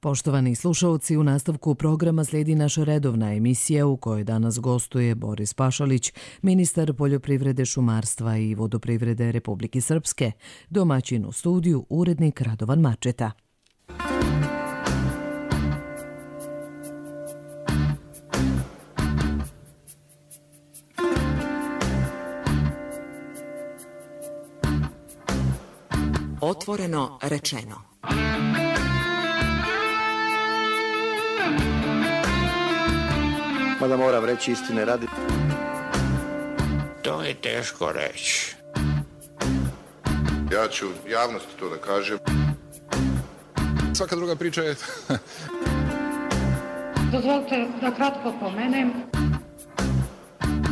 Poštovani slušalci, u nastavku programa slijedi naša redovna emisija u kojoj danas gostuje Boris Pašalić, ministar poljoprivrede, šumarstva i vodoprivrede Republike Srpske, domaćin u studiju urednik Radovan Mačeta. Otvoreno rečeno. Mada moram reći istine radi. To je teško reći. Ja ću javnosti to da kažem. Svaka druga priča je... Dozvolite da kratko pomenem.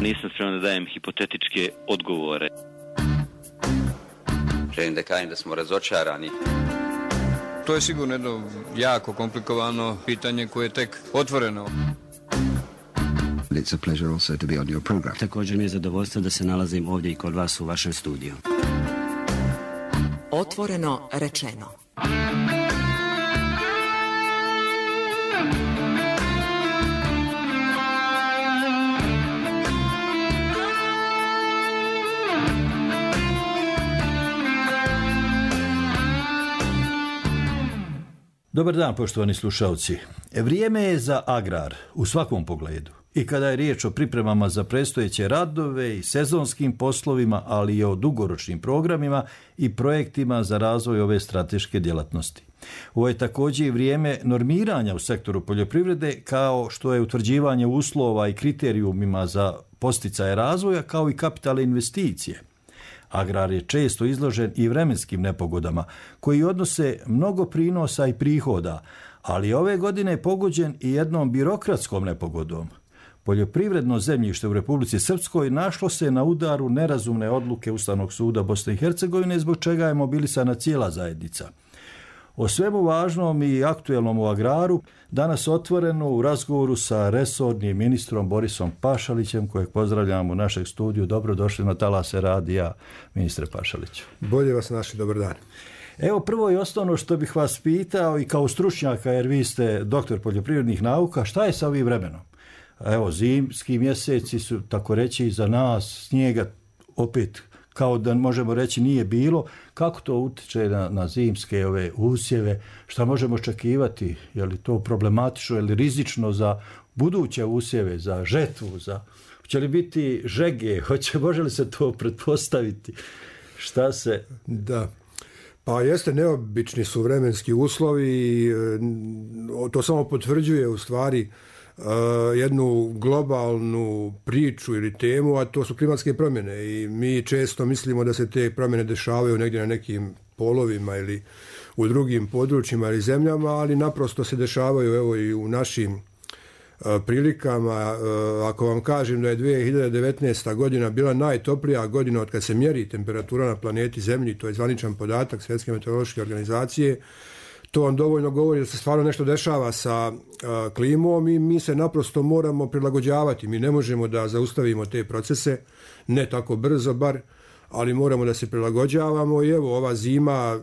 Nisam spreman da dajem hipotetičke odgovore. Želim da kažem da smo razočarani. To je sigurno jedno jako komplikovano pitanje koje je tek otvoreno. It's a pleasure also to be on your program. Također mi je zadovoljstvo da se nalazim ovdje i kod vas u vašem studiju. Otvoreno rečeno. Dobar dan, poštovani slušalci. Vrijeme je za agrar u svakom pogledu. I kada je riječ o pripremama za predstojeće radove i sezonskim poslovima, ali i o dugoročnim programima i projektima za razvoj ove strateške djelatnosti. Ovo je također i vrijeme normiranja u sektoru poljoprivrede, kao što je utvrđivanje uslova i kriterijumima za posticaje razvoja, kao i kapitalne investicije. Agrar je često izložen i vremenskim nepogodama, koji odnose mnogo prinosa i prihoda, ali ove godine je pogođen i jednom birokratskom nepogodom. Poljoprivredno zemljište u Republici Srpskoj našlo se na udaru nerazumne odluke Ustavnog suda Bosne i Hercegovine, zbog čega je mobilisana cijela zajednica. O svemu važnom i aktuelnom u agraru danas otvoreno u razgovoru sa resornim ministrom Borisom Pašalićem, kojeg pozdravljamo u našeg studiju. Dobrodošli na talase radija, ministre Pašaliću. Bolje vas našli, dobar dan. Evo, prvo i osnovno što bih vas pitao, i kao stručnjaka, jer vi ste doktor poljoprivrednih nauka, šta je sa ovim vremenom? Evo, zimski mjeseci su, tako reći, za nas, snijega opet, kao da možemo reći, nije bilo. Kako to utječe na zimske ove usjeve? Šta možemo očekivati? Je li to problematično ili rizično za buduće usjeve, za žetvu? Hoće li biti žege? Može li se to pretpostaviti? Šta se... Da. Pa jeste, neobični su vremenski uslovi i to samo potvrđuje u stvari jednu globalnu priču ili temu, a to su klimatske promjene i mi često mislimo da se te promjene dešavaju negdje na nekim polovima ili u drugim područjima ili zemljama, ali naprosto se dešavaju evo i u našim prilikama. Ako vam kažem da je 2019. godina bila najtoplija godina od kad se mjeri temperatura na planeti Zemlji, to je zvaničan podatak Svjetske meteorološke organizacije, to vam dovoljno govori da se stvarno nešto dešava sa klimom i mi se naprosto moramo prilagođavati. Mi ne možemo da zaustavimo te procese, ne tako brzo bar, ali moramo da se prilagođavamo i evo ova zima,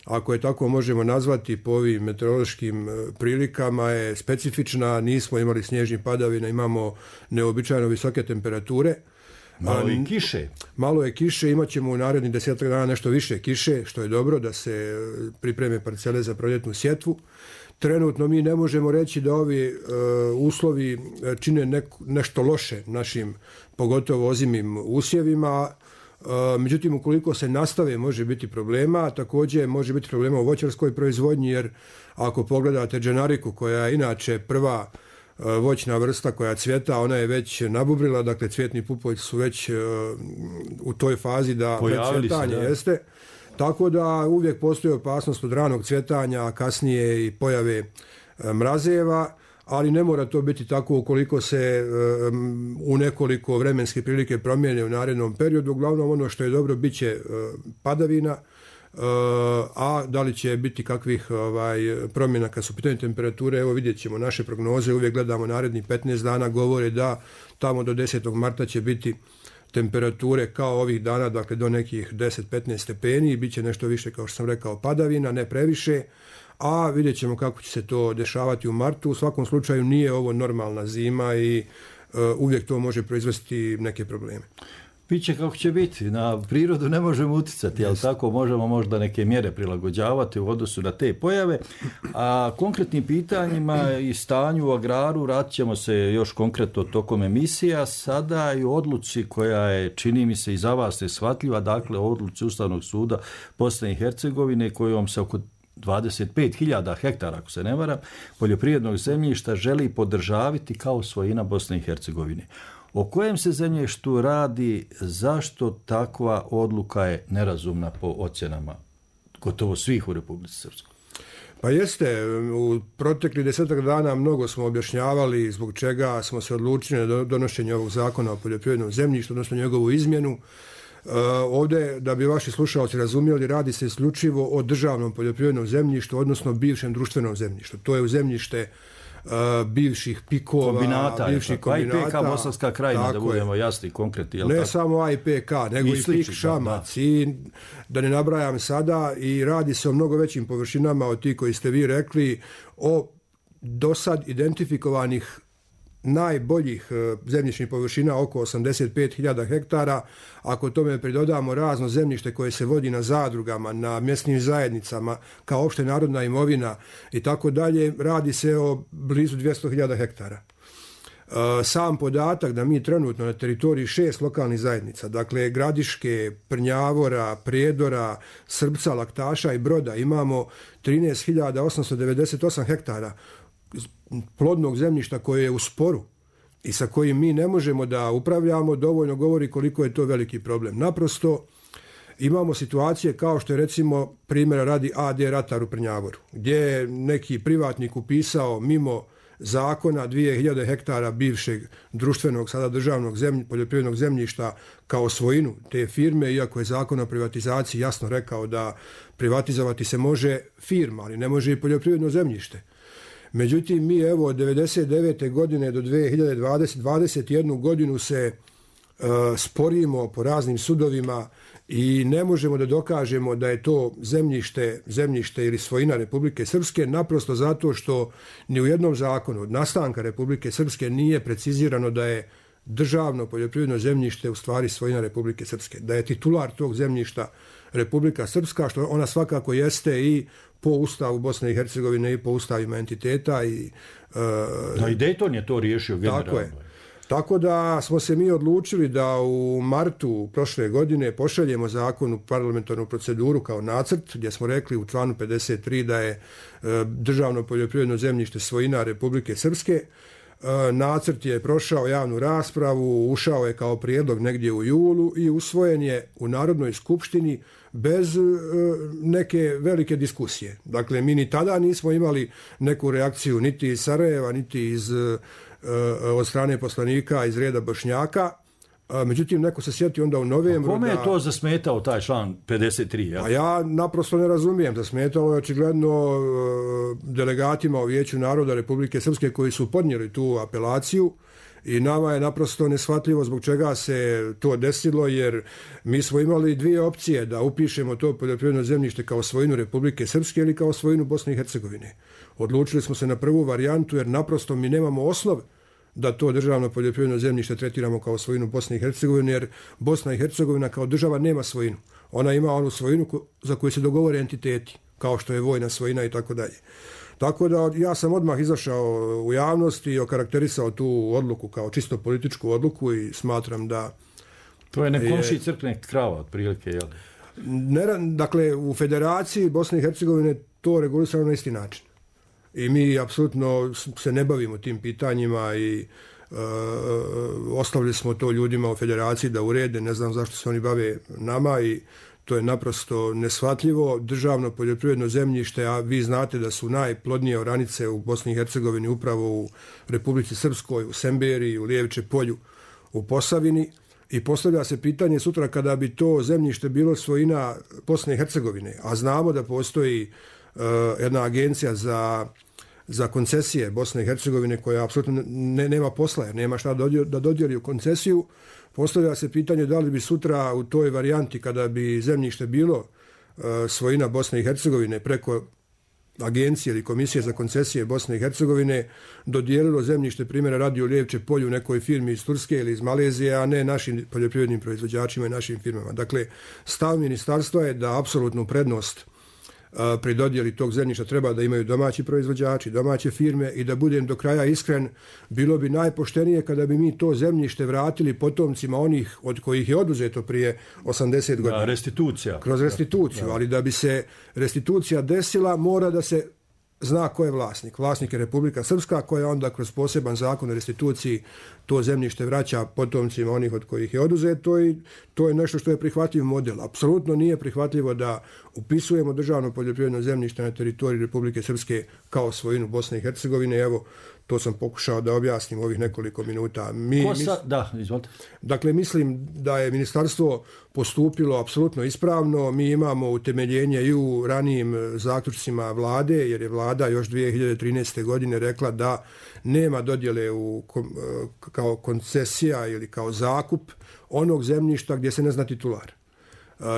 ako je tako možemo nazvati po ovim meteorološkim prilikama, je specifična, nismo imali snježnih padavina, imamo neobičajno visoke temperature. Malo i kiše. Malo je kiše, imat ćemo u narednih 10 dana nešto više kiše, što je dobro da se pripreme parcele za proljetnu sjetvu. Trenutno mi ne možemo reći da ovi uslovi čine nešto loše našim, pogotovo ozimim usjevima. Međutim, ukoliko se nastave, može biti problema. Također može biti problema u voćarskoj proizvodnji, jer ako pogledate dženariku, koja je inače prva voćna vrsta koja cvjeta, ona je već nabubrila, dakle cvjetni pupovi su već u toj fazi da cvjetanje jeste. Tako da uvijek postoji opasnost od ranog cvjetanja, a kasnije i pojave mrazeva, ali ne mora to biti tako ukoliko se u nekoliko vremenske prilike promijene u narednom periodu. Uglavnom ono što je dobro bit će padavina, a da li će biti kakvih promjena kad su pitanje temperature, evo vidjet ćemo naše prognoze, uvijek gledamo narednih 15 dana, govore da tamo do 10. marta će biti temperature kao ovih dana, dakle do nekih 10-15 stepeni, bit će nešto više, kao što sam rekao, padavina, ne previše, a vidjet ćemo kako će se to dešavati u martu. U svakom slučaju nije ovo normalna zima i uvijek to može proizvesti neke probleme. Biće kako će biti, na prirodu ne možemo uticati, ali tako možemo možda neke mjere prilagođavati u odnosu na te pojave, a konkretnim pitanjima i stanju u agraru vratit ćemo se još konkretno tokom emisija, sada i u odluci koja je, čini mi se, i za vas neshvatljiva, dakle o odluci Ustavnog suda Bosne i Hercegovine kojom se oko 25.000 hektara, ako se ne varam, poljoprivrednog zemljišta želi podržaviti kao svojina Bosne i Hercegovine. O kojem se zemljištu radi, zašto takva odluka je nerazumna po ocjenama gotovo svih u Republici Srpskoj? Pa jeste, u proteklih 10 dana mnogo smo objašnjavali zbog čega smo se odlučili na donošenje ovog zakona o poljoprivrednom zemljištu, odnosno njegovu izmjenu. Ovdje, da bi vaši slušalci razumjeli, radi se isključivo o državnom poljoprivrednom zemljištu, odnosno bivšem društvenom zemljištu. To je u zemljište bivših pikova, kombinata, bivših kombinata. IPK Bosanska krajina, da budemo jasni i konkretni. Ne samo IPK, nego i PIK Šamac i da ne nabrajam sada, i radi se o mnogo većim površinama od tih koji ste vi rekli, o dosad identifikovanih najboljih zemljišnih površina oko 85.000 hektara. Ako tome pridodamo razno zemljište koje se vodi na zadrugama, na mjesnim zajednicama, kao opšte narodna imovina i tako dalje, radi se o blizu 200.000 hektara. Sam podatak da mi trenutno na teritoriji 6 lokalnih zajednica, dakle Gradiške, Prnjavora, Prijedora, Srbca, Laktaša i Broda, imamo 13.898 hektara plodnog zemljišta koje je u sporu i sa kojim mi ne možemo da upravljamo, dovoljno govori koliko je to veliki problem. Naprosto imamo situacije kao što je, recimo, primjera radi AD Ratar u Prnjavoru, gdje je neki privatnik upisao mimo zakona 2000 hektara bivšeg društvenog, sada državnog poljoprivrednog zemljišta kao svojinu te firme, iako je zakon o privatizaciji jasno rekao da privatizovati se može firma, ali ne može i poljoprivredno zemljište. Međutim, mi evo od 1999. godine do 2021. godinu se sporimo po raznim sudovima i ne možemo da dokažemo da je to zemljište ili svojina Republike Srpske, naprosto zato što ni u jednom zakonu od nastanka Republike Srpske nije precizirano da je državno poljoprivredno zemljište u stvari svojina Republike Srpske, da je titular tog zemljišta Republika Srpska, što ona svakako jeste i po Ustavu Bosne i Hercegovine i po ustavima entiteta. I Dayton je to riješio generalno. Tako je. Tako da smo se mi odlučili da u martu prošle godine pošaljemo zakon u parlamentarnu proceduru kao nacrt, gdje smo rekli u članu 53 da je državno poljoprivredno zemljište svojina Republike Srpske. Nacrt je prošao javnu raspravu, ušao je kao prijedlog negdje u julu i usvojen je u Narodnoj skupštini bez neke velike diskusije. Dakle, mi ni tada nismo imali neku reakciju niti iz Sarajeva, niti od strane poslanika iz reda Bošnjaka. Međutim, neko se sjeti onda u novembru. Kome je to zasmetao taj član 53? Ja? A ja naprosto ne razumijem. Zasmetalo je očigledno delegatima u Vijeću naroda Republike Srpske koji su podnijeli tu apelaciju i nama je naprosto neshvatljivo zbog čega se to desilo, jer mi smo imali dvije opcije da upišemo to poljoprivredno zemljište kao svojinu Republike Srpske ili kao svojinu Bosne i Hercegovine. Odlučili smo se na prvu varijantu jer naprosto mi nemamo osnov da to državno poljoprivredno zemljište tretiramo kao svojinu Bosne i Hercegovine, jer Bosna i Hercegovina kao država nema svojinu. Ona ima onu svojinu za koju se dogovore entiteti, kao što je vojna svojina i tako dalje. Tako da ja sam odmah izašao u javnost i okarakterisao tu odluku kao čisto političku odluku i smatram da... To je nekomši crkne krava, otprilike, jel? Dakle, u Federaciji Bosne i Hercegovine to regulisano na isti način. I mi apsolutno se ne bavimo tim pitanjima i ostavili smo to ljudima u Federaciji da urede, ne znam zašto se oni bave nama i to je naprosto neshvatljivo. Državno poljoprivredno zemljište, a vi znate da su najplodnije oranice u Bosni i Hercegovini upravo u Republici Srpskoj, u Semberiji, u Lijeviče polju, u Posavini, i postavlja se pitanje sutra kada bi to zemljište bilo svojina Bosne i Hercegovine, a znamo da postoji jedna agencija za koncesije Bosne i Hercegovine koja apsolutno nema posla jer nema šta da dodijeli u koncesiju. Postavlja se pitanje da li bi sutra u toj varijanti kada bi zemljište bilo svojina Bosne i Hercegovine preko agencije ili komisije za koncesije Bosne i Hercegovine dodijelilo zemljište, primjera radi u Lijevče polju nekoj firmi iz Turske ili iz Malezije, a ne našim poljoprivrednim proizvođačima i našim firmama. Dakle, stav ministarstva je da apsolutnu prednost pri dodjeli tog zemljišta treba da imaju domaći proizvođači, domaće firme i da budem do kraja iskren, bilo bi najpoštenije kada bi mi to zemljište vratili potomcima onih od kojih je oduzeto prije 80 godina. Restitucija. Kroz restituciju, ali da bi se restitucija desila mora da se zna ko je vlasnik. Vlasnik je Republika Srpska koja onda kroz poseban zakon o restituciji to zemljište vraća potomcima onih od kojih je oduzeto i to je nešto što je prihvatljiv model. Apsolutno nije prihvatljivo da upisujemo državno poljoprivredno zemljište na teritoriji Republike Srpske kao svojinu Bosne i Hercegovine. Evo, to sam pokušao da objasnim ovih nekoliko minuta. Dakle, mislim da je ministarstvo postupilo apsolutno ispravno. Mi imamo utemeljenje i u ranijim zaključcima vlade, jer je vlada još 2013. godine rekla da nema dodjele kao koncesija ili kao zakup onog zemljišta gdje se ne zna titular.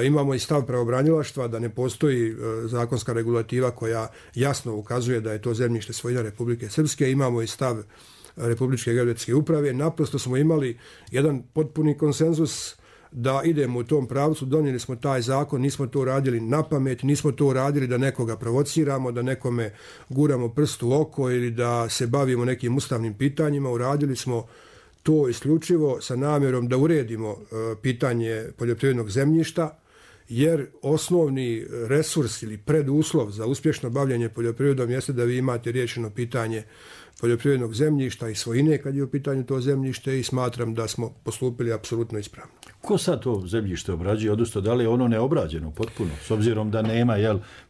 Imamo i stav pravobranilaštva da ne postoji zakonska regulativa koja jasno ukazuje da je to zemljište svojina Republike Srpske. Imamo i stav Republičke geodetske uprave. Naprosto smo imali jedan potpuni konsenzus da idemo u tom pravcu. Donijeli smo taj zakon, nismo to radili na pamet, nismo to radili da nekoga provociramo, da nekome guramo prst u oko ili da se bavimo nekim ustavnim pitanjima. Uradili smo to isključivo sa namjerom da uredimo pitanje poljoprivrednog zemljišta, jer osnovni resurs ili preduslov za uspješno bavljanje poljoprivredom jeste da vi imate riješeno pitanje poljoprivrednog zemljišta i svojine kad je u pitanju to zemljište i smatram da smo postupili apsolutno ispravno. Ko sad to zemljište obrađuje, odnosno da li je ono neobrađeno potpuno, s obzirom da nema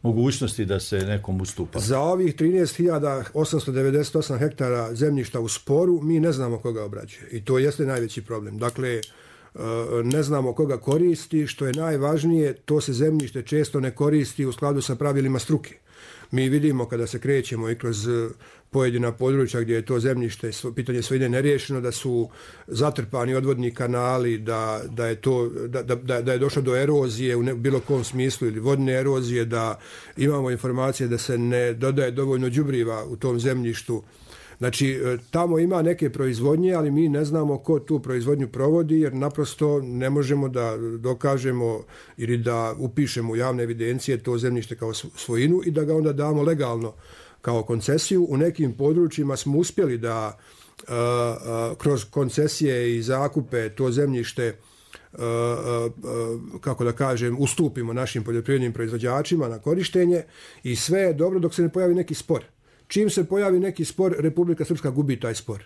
mogućnosti da se nekom ustupa? Za ovih 13.898 hektara zemljišta u sporu mi ne znamo koga obrađuje i to jeste najveći problem. Dakle, ne znamo koga koristi, što je najvažnije, to se zemljište često ne koristi u skladu sa pravilima struke. Mi vidimo kada se krećemo i kroz pojedina područja gdje je to zemljište, pitanje svojine neriješeno, da su zatrpani odvodni kanali, da je došlo do erozije u bilo kom smislu ili vodne erozije, da imamo informacije da se ne dodaje dovoljno đubriva u tom zemljištu. Znači, tamo ima neke proizvodnje, ali mi ne znamo ko tu proizvodnju provodi, jer naprosto ne možemo da dokažemo ili da upišemo u javne evidencije to zemljište kao svojinu i da ga onda damo legalno kao koncesiju. U nekim područjima smo uspjeli da kroz koncesije i zakupe to zemljište kako da kažem, ustupimo našim poljoprivrednim proizvođačima na korištenje i sve je dobro dok se ne pojavi neki spor. Čim se pojavi neki spor, Republika Srpska gubi taj spor.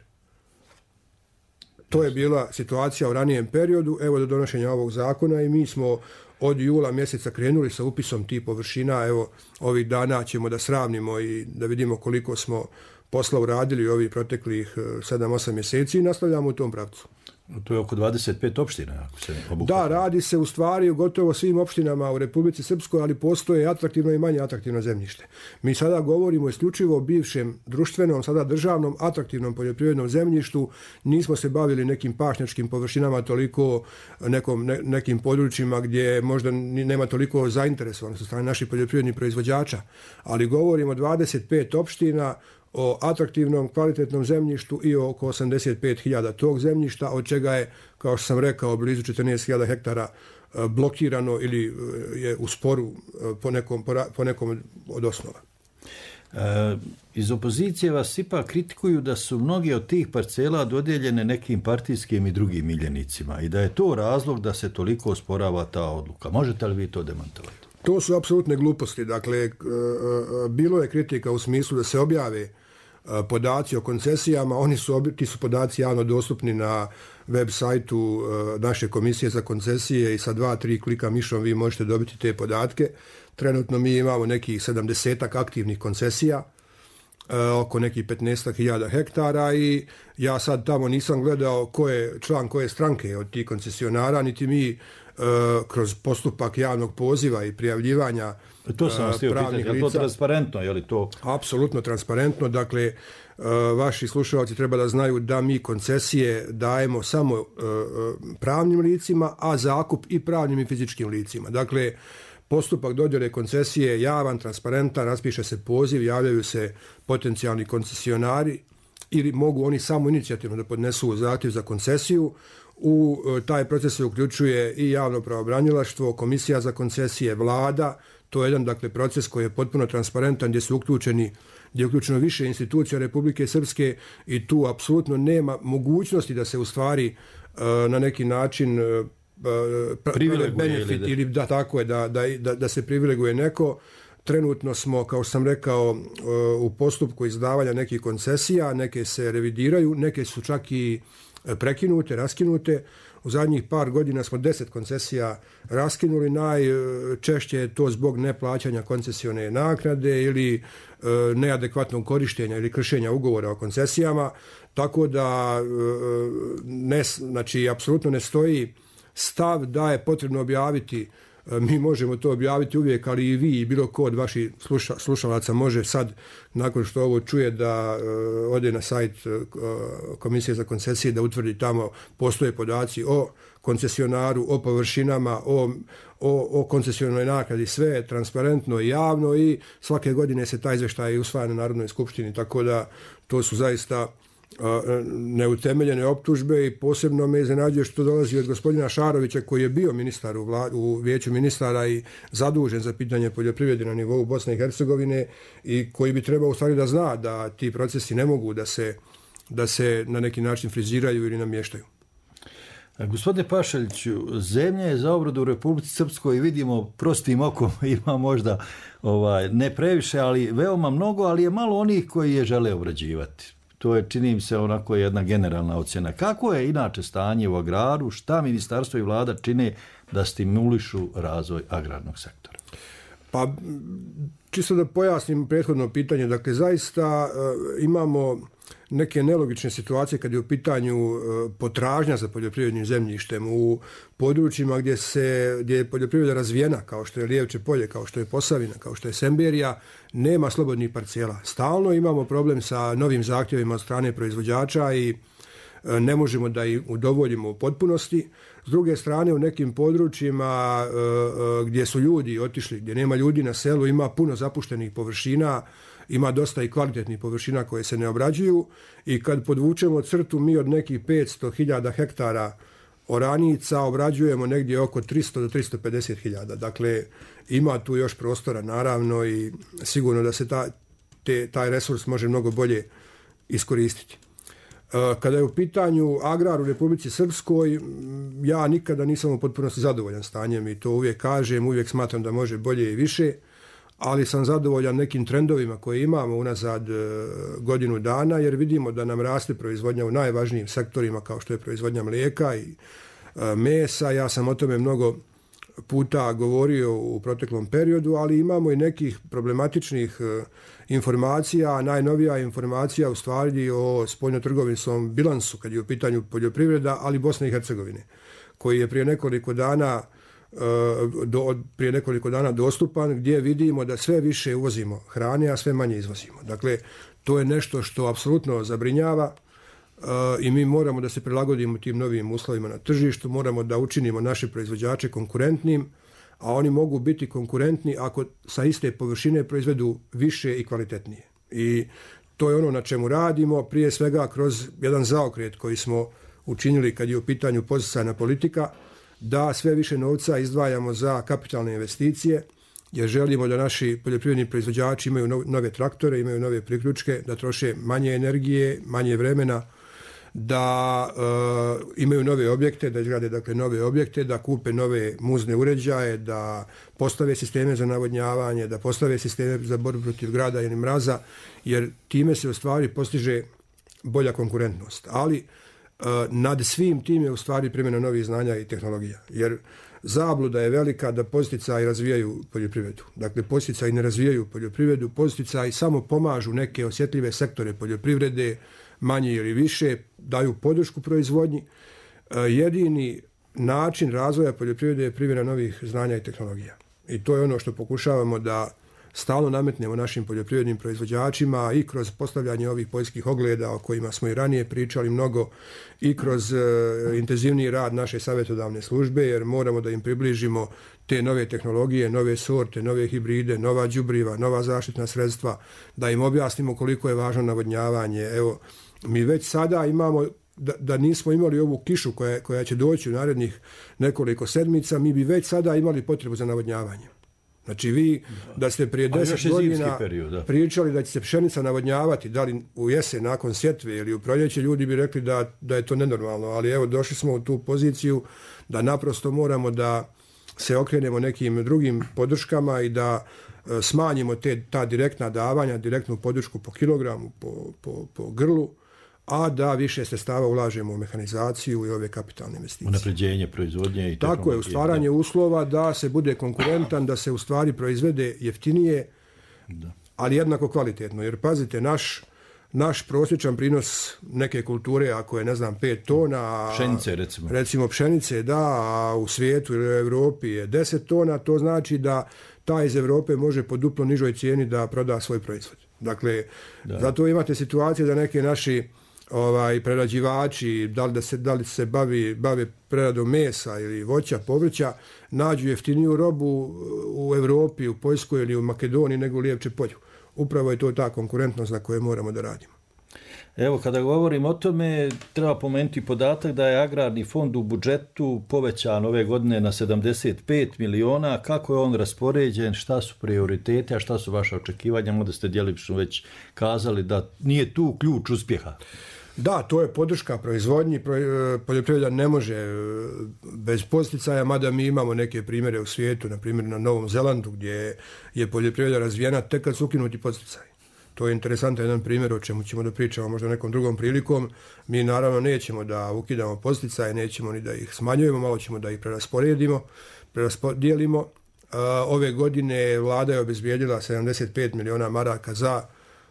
To je bila situacija u ranijem periodu, evo do donošenja ovog zakona i mi smo od jula mjeseca krenuli sa upisom tih površina. Evo, ovih dana ćemo da sravnimo i da vidimo koliko smo posla uradili ovih proteklih 7-8 mjeseci i nastavljamo u tom pravcu. To je oko 25 opština, ako se obuhvata. Da, radi se u stvari u gotovo svim opštinama u Republici Srpskoj, ali postoje atraktivno i manje atraktivno zemljište. Mi sada govorimo isključivo o bivšem društvenom, sada državnom, atraktivnom poljoprivrednom zemljištu. Nismo se bavili nekim pašnjačkim površinama toliko, nekim područjima gdje možda nema toliko zainteresovanosti od strane naših poljoprivrednih proizvođača, ali govorimo o 25 opština, o atraktivnom, kvalitetnom zemljištu i oko 85.000 tog zemljišta, od čega je, kao što sam rekao, blizu 14.000 hektara blokirano ili je u sporu po nekom od osnova. Iz opozicije vas ipak kritikuju da su mnoge od tih parcela dodijeljene nekim partijskim i drugim miljenicima i da je to razlog da se toliko osporava ta odluka. Možete li vi to demantovati? To su apsolutne gluposti. Dakle, bilo je kritika u smislu da se objave podaci o koncesijama. Ti su podaci javno dostupni na web sajtu naše komisije za koncesije i sa 2-3 klika mišom vi možete dobiti te podatke. Trenutno mi imamo nekih 70 aktivnih koncesija, oko nekih 15.000 hektara i ja sad tamo nisam gledao ko je član koje stranke od tih koncesionara, niti mi kroz postupak javnog poziva i prijavljivanja to sam vas htio pitati, je li to transparentno? Je li to... Apsolutno transparentno. Dakle, vaši slušalci treba da znaju da mi koncesije dajemo samo pravnim licima, a zakup i pravnim i fizičkim licima. Dakle, postupak dodjele koncesije je javan, transparentan, raspiše se poziv, javljaju se potencijalni koncesionari ili mogu oni samo inicijativno da podnesu zahtjev za koncesiju. U taj proces se uključuje i javno pravobranilaštvo, komisija za koncesije, vlada. To je jedan dakle proces koji je potpuno transparentan gdje je uključeno više institucija Republike Srpske i tu apsolutno nema mogućnosti da se u stvari na neki način benefit ili da tako je da se privileguje neko. Trenutno smo, kao što sam rekao, u postupku izdavanja nekih koncesija, neke se revidiraju, neke su čak i prekinute, raskinute. U zadnjih par godina smo 10 koncesija raskinuli, najčešće je to zbog neplaćanja koncesione naknade ili neadekvatnog korištenja ili kršenja ugovora o koncesijama, tako da znači apsolutno ne stoji stav da je potrebno objaviti. Mi možemo to objaviti uvijek, ali i vi i bilo ko od vaših slušalaca može sad, nakon što ovo čuje, da ode na sajt Komisije za koncesije, da utvrdi tamo postoje podaci o koncesionaru, o površinama, o koncesionoj naknadi, sve je transparentno i javno i svake godine se taj izvještaj usvaja na Narodnoj skupštini, tako da to su zaista neutemeljene optužbe i posebno me iznenađuje što dolazi od gospodina Šarovića koji je bio ministar u vijeću ministara i zadužen za pitanje poljoprivrede na nivou Bosne i Hercegovine i koji bi trebao u stvari da zna da ti procesi ne mogu da se na neki način friziraju ili namještaju. Gospodine Pašaliću, zemlja je za obradu u Republici Srpskoj, vidimo prostim okom, ima možda ne previše, ali veoma mnogo, ali je malo onih koji je žele obrađivati. To je, čini mi se, onako jedna generalna ocjena. Kako je inače stanje u agraru, šta ministarstvo i vlada čine da stimulišu razvoj agrarnog sektora? Pa, čisto da pojasnim prethodno pitanje, dakle, zaista imamo neke nelogične situacije kad je u pitanju potražnja za poljoprivrednim zemljištem u područjima gdje je poljoprivreda razvijena, kao što je Lijevče polje, kao što je Posavina, kao što je Semberija, nema slobodnih parcela. Stalno imamo problem sa novim zahtjevima od strane proizvođača i ne možemo da ih udovoljimo u potpunosti. S druge strane, u nekim područjima gdje su ljudi otišli, gdje nema ljudi na selu, ima puno zapuštenih površina, ima dosta i kvalitetnih površina koje se ne obrađuju i kad podvučemo crtu, mi od nekih 500.000 hektara oranica obrađujemo negdje oko 300 do 350.000. Dakle, ima tu još prostora naravno i sigurno da se taj resurs može mnogo bolje iskoristiti. Kada je u pitanju agrar u Republici Srpskoj, ja nikada nisam u potpunosti zadovoljan stanjem i to uvijek kažem, uvijek smatram da može bolje i više, ali sam zadovoljan nekim trendovima koje imamo unazad godinu dana, jer vidimo da nam raste proizvodnja u najvažnijim sektorima kao što je proizvodnja mlijeka i mesa. Ja sam o tome mnogo puta govorio u proteklom periodu, ali imamo i nekih problematičnih informacija. Najnovija informacija u stvari o spoljnotrgovinskom bilansu kad je u pitanju poljoprivreda, ali Bosne i Hercegovine, koji je prije nekoliko dana dostupan, gdje vidimo da sve više uvozimo hrane, a sve manje izvozimo. Dakle, to je nešto što apsolutno zabrinjava i mi moramo da se prilagodimo tim novim uslovima na tržištu, moramo da učinimo naše proizvođače konkurentnim, a oni mogu biti konkurentni ako sa iste površine proizvedu više i kvalitetnije. I to je ono na čemu radimo, prije svega kroz jedan zaokret koji smo učinili kad je u pitanju podsticajna politika, da sve više novca izdvajamo za kapitalne investicije, jer želimo da naši poljoprivredni proizvođači imaju nove traktore, imaju nove priključke, da troše manje energije, manje vremena, da imaju nove objekte, da izgrade dakle nove objekte, da kupe nove muzne uređaje, da postave sisteme za navodnjavanje, da postave sisteme za borbu protiv grada ili mraza, jer time se u stvari postiže bolja konkurentnost. Ali nad svim tim je u stvari primjena novih znanja i tehnologija, jer zabluda je velika da podsticaji razvijaju poljoprivredu. Dakle, podsticaji ne razvijaju poljoprivredu, podsticaji samo pomažu neke osjetljive sektore poljoprivrede, manje ili više, daju podršku proizvodnji. Jedini način razvoja poljoprivrede je primjena novih znanja i tehnologija. I to je ono što pokušavamo da stalno nametnemo našim poljoprivrednim proizvođačima i kroz postavljanje ovih poljskih ogleda o kojima smo i ranije pričali mnogo i kroz intenzivniji rad naše savjetodavne službe, jer moramo da im približimo te nove tehnologije, nove sorte, nove hibride, nova đubriva, nova zaštitna sredstva, da im objasnimo koliko je važno navodnjavanje. Evo, mi već sada imamo, da nismo imali ovu kišu koja će doći u narednih nekoliko sedmica, mi bi već sada imali potrebu za navodnjavanje. Znači vi da ste prije 10 godina pričali da će se pšenica navodnjavati, da li u jesen nakon sjetve ili u proljeće, ljudi bi rekli da je to nenormalno, ali evo došli smo u tu poziciju da naprosto moramo da se okrenemo nekim drugim podrškama i da smanjimo ta direktna davanja, direktnu podršku po kilogramu, po grlu, a da više sredstava ulažemo u mehanizaciju i ove kapitalne investicije. Unapređenje proizvodnje i tako je, u stvaranje uslova da se bude konkurentan, da se u stvari proizvede jeftinije, ali jednako kvalitetno. Jer pazite, naš prosječan prinos neke kulture, ako je, 5 tona, pšenice recimo pšenice, a u svijetu ili u Europi je 10 tona, to znači da taj iz Europe može po duplo nižoj cijeni da proda svoj proizvod. Dakle, zato imate situacije da neke naši prerađivači, da li se bave preradom mesa ili voća, povrća, nađu jeftiniju robu u Europi, u Poljskoj ili u Makedoniji nego u Lijevče polju. Upravo je to ta konkurentnost na kojoj moramo da radimo. Evo, kada govorim o tome, treba pomenuti podatak da je agrarni fond u budžetu povećan ove godine na 75 miliona. Kako je on raspoređen, šta su prioritete, a šta su vaše očekivanja? Možda ste djelomično već kazali da nije tu ključ uspjeha. Da, to je podrška proizvodnji. Poljoprivreda ne može bez posticaja, mada mi imamo neke primjere u svijetu, na primjer na Novom Zelandu, gdje je poljoprivreda razvijena tek kad su ukinuti posticaji. To je interesantan jedan primjer o čemu ćemo da pričamo možda nekom drugom prilikom. Mi naravno nećemo da ukidamo posticaje, nećemo ni da ih smanjujemo, malo ćemo da ih preraspodijelimo. Ove godine vlada je obezbijedila 75 miliona maraka za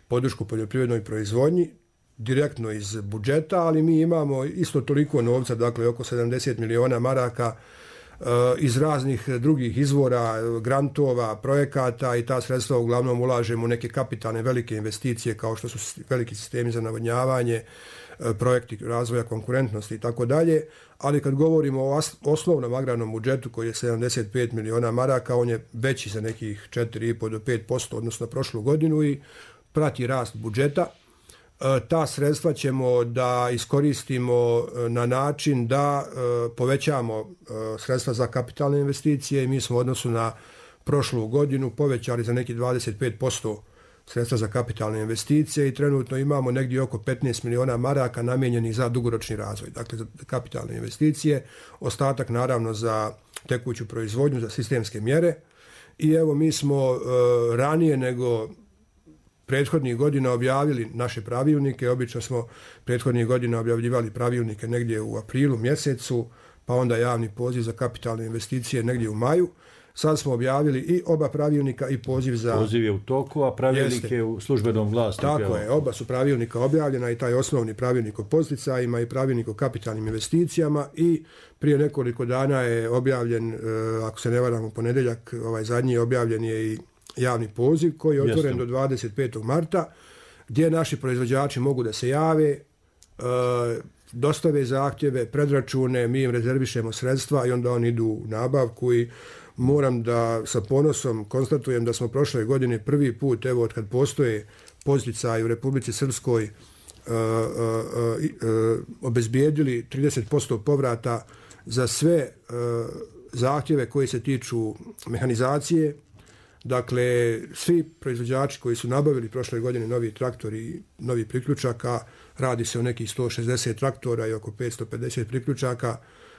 podršku poljoprivrednoj proizvodnji, direktno iz budžeta, ali mi imamo isto toliko novca, dakle oko 70 miliona maraka iz raznih drugih izvora, grantova, projekata, i ta sredstva uglavnom ulažemo u neke kapitalne velike investicije kao što su veliki sistemi za navodnjavanje, projekti razvoja konkurentnosti i tako dalje, ali kad govorimo o osnovnom agrarnom budžetu koji je 75 miliona maraka, on je veći za nekih 4,5 do 5%, odnosno prošlu godinu, i prati rast budžeta. Ta sredstva ćemo da iskoristimo na način da povećamo sredstva za kapitalne investicije, i mi smo u odnosu na prošlu godinu povećali za neki 25% sredstva za kapitalne investicije i trenutno imamo negdje oko 15 miliona maraka namijenjenih za dugoročni razvoj, dakle za kapitalne investicije, ostatak naravno za tekuću proizvodnju, za sistemske mjere. I evo, mi smo ranije nego prethodnih godina objavili naše pravilnike. Obično smo prethodnih godina objavljivali pravilnike negdje u aprilu mjesecu, pa onda javni poziv za kapitalne investicije negdje u maju. Sad smo objavili i oba pravilnika i poziv za... Poziv je u toku, a pravilnik je u službenom glasniku. Tako je, oba su pravilnika objavljena, i taj osnovni pravilnik o posticajima i pravilnik o kapitalnim investicijama, i prije nekoliko dana je objavljen, ako se ne varam u ponedjeljak, zadnji objavljen je i javni poziv koji je otvoren do 25. marta, gdje naši proizvođači mogu da se jave, dostave zahtjeve, predračune, mi im rezervišemo sredstva i onda oni idu u nabavku. I moram da sa ponosom konstatujem da smo prošle godine prvi put, evo od kad postoje posticaji u Republici Srpskoj, obezbijedili 30% povrata za sve zahtjeve koji se tiču mehanizacije. Dakle, svi proizvođači koji su nabavili prošle godine novi traktori i novi priključaka, radi se o nekih 160 traktora i oko 550 priključaka,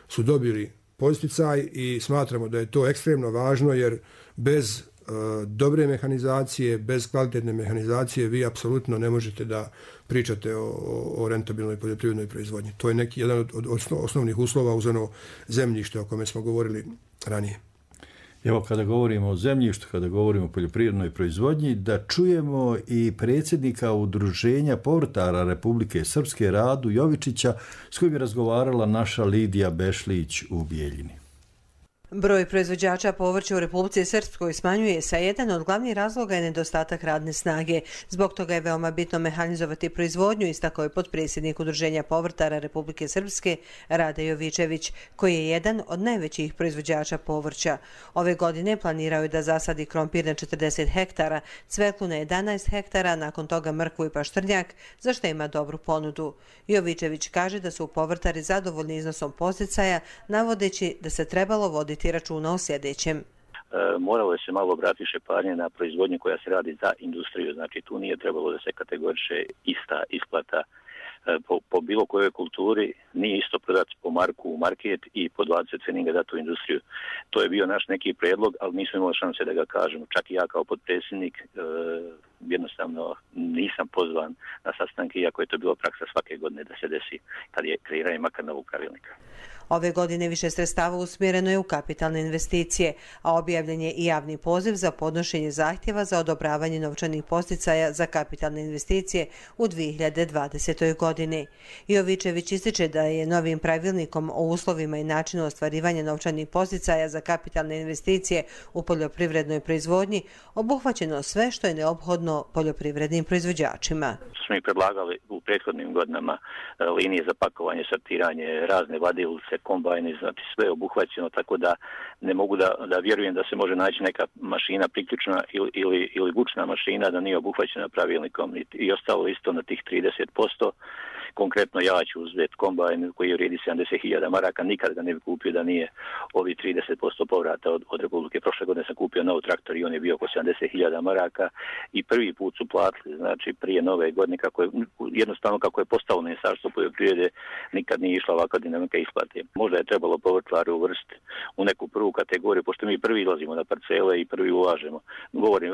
su dobili posticaj, i smatramo da je to ekstremno važno, jer bez dobre mehanizacije, bez kvalitetne mehanizacije vi apsolutno ne možete da pričate o rentabilnoj poljoprivrednoj proizvodnji. To je jedan od osnovnih uslova uz ono zemljište o kome smo govorili ranije. Evo, kada govorimo o zemljištu, kada govorimo o poljoprivrednoj proizvodnji, da čujemo i predsjednika Udruženja povrtara Republike Srpske Radu Jovičića, s kojim je razgovarala naša Lidija Bešlić u Bijeljini. Broj proizvođača povrća u Republici Srpskoj smanjuje se, a jedan od glavnih razloga je nedostatak radne snage. Zbog toga je veoma bitno mehanizovati proizvodnju, istakao je potpredsjednik Udruženja povrtara Republike Srpske Rade Jovičević, koji je jedan od najvećih proizvođača povrća. Ove godine planirao je da zasadi krompir na 40 hektara, cveklu na 11 hektara, nakon toga mrkvu i paštrnjak, za što ima dobru ponudu. Jovičević kaže da su povrtari zadovoljni iznosom podsticaja, navodeći da se trebalo voditi računa o sljedećem. Moralo je se malo obratiti više pažnje na proizvodnju koja se radi za industriju. Znači tu nije trebalo da se kategoriše ista isplata po bilo kojoj kulturi, nije isto prodati po marku u market i po 20 ceninga dati u industriju. To je bio naš neki predlog, ali nismo imali šanse da ga kažemo. Čak i ja kao potpredsjednik jednostavno nisam pozvan na sastanke, iako je to bila praksa svake godine da se desi kad je kreiranje makar novog pravilnika. Ove godine više sredstava usmjereno je u kapitalne investicije, a objavljen je i javni poziv za podnošenje zahtjeva za odobravanje novčanih podsticaja za kapitalne investicije u 2020. godini. Jovičević ističe da je novim pravilnikom o uslovima i načinu ostvarivanja novčanih podsticaja za kapitalne investicije u poljoprivrednoj proizvodnji obuhvaćeno sve što je neophodno poljoprivrednim proizvođačima. Smo i predlagali u prethodnim godinama linije za pakovanje, sortiranje, razne vadilice, kombajne, znači sve obuhvaćeno, tako da ne mogu da vjerujem da se može naći neka mašina priključna ili vučna mašina da nije obuhvaćena pravilnikom i ostalo isto na tih 30%. Konkretno ja ću uzeti kombajn koji vrijedi 70.000 maraka, nikad ga ne bi kupio da nije ovi 30% povrata od Republike. Prošle godine sam kupio nov traktor i on je bio oko 70.000 maraka i prvi put su platili, znači prije nove godine, jednostavno kako je postalo Ministarstvo poljoprivrede, nikad nije išla ovakva dinamika isplate. Možda je trebalo povrtlaru uvrstiti u neku prvu kategoriju, pošto mi prvi izlazimo na parcele i prvi ulažemo.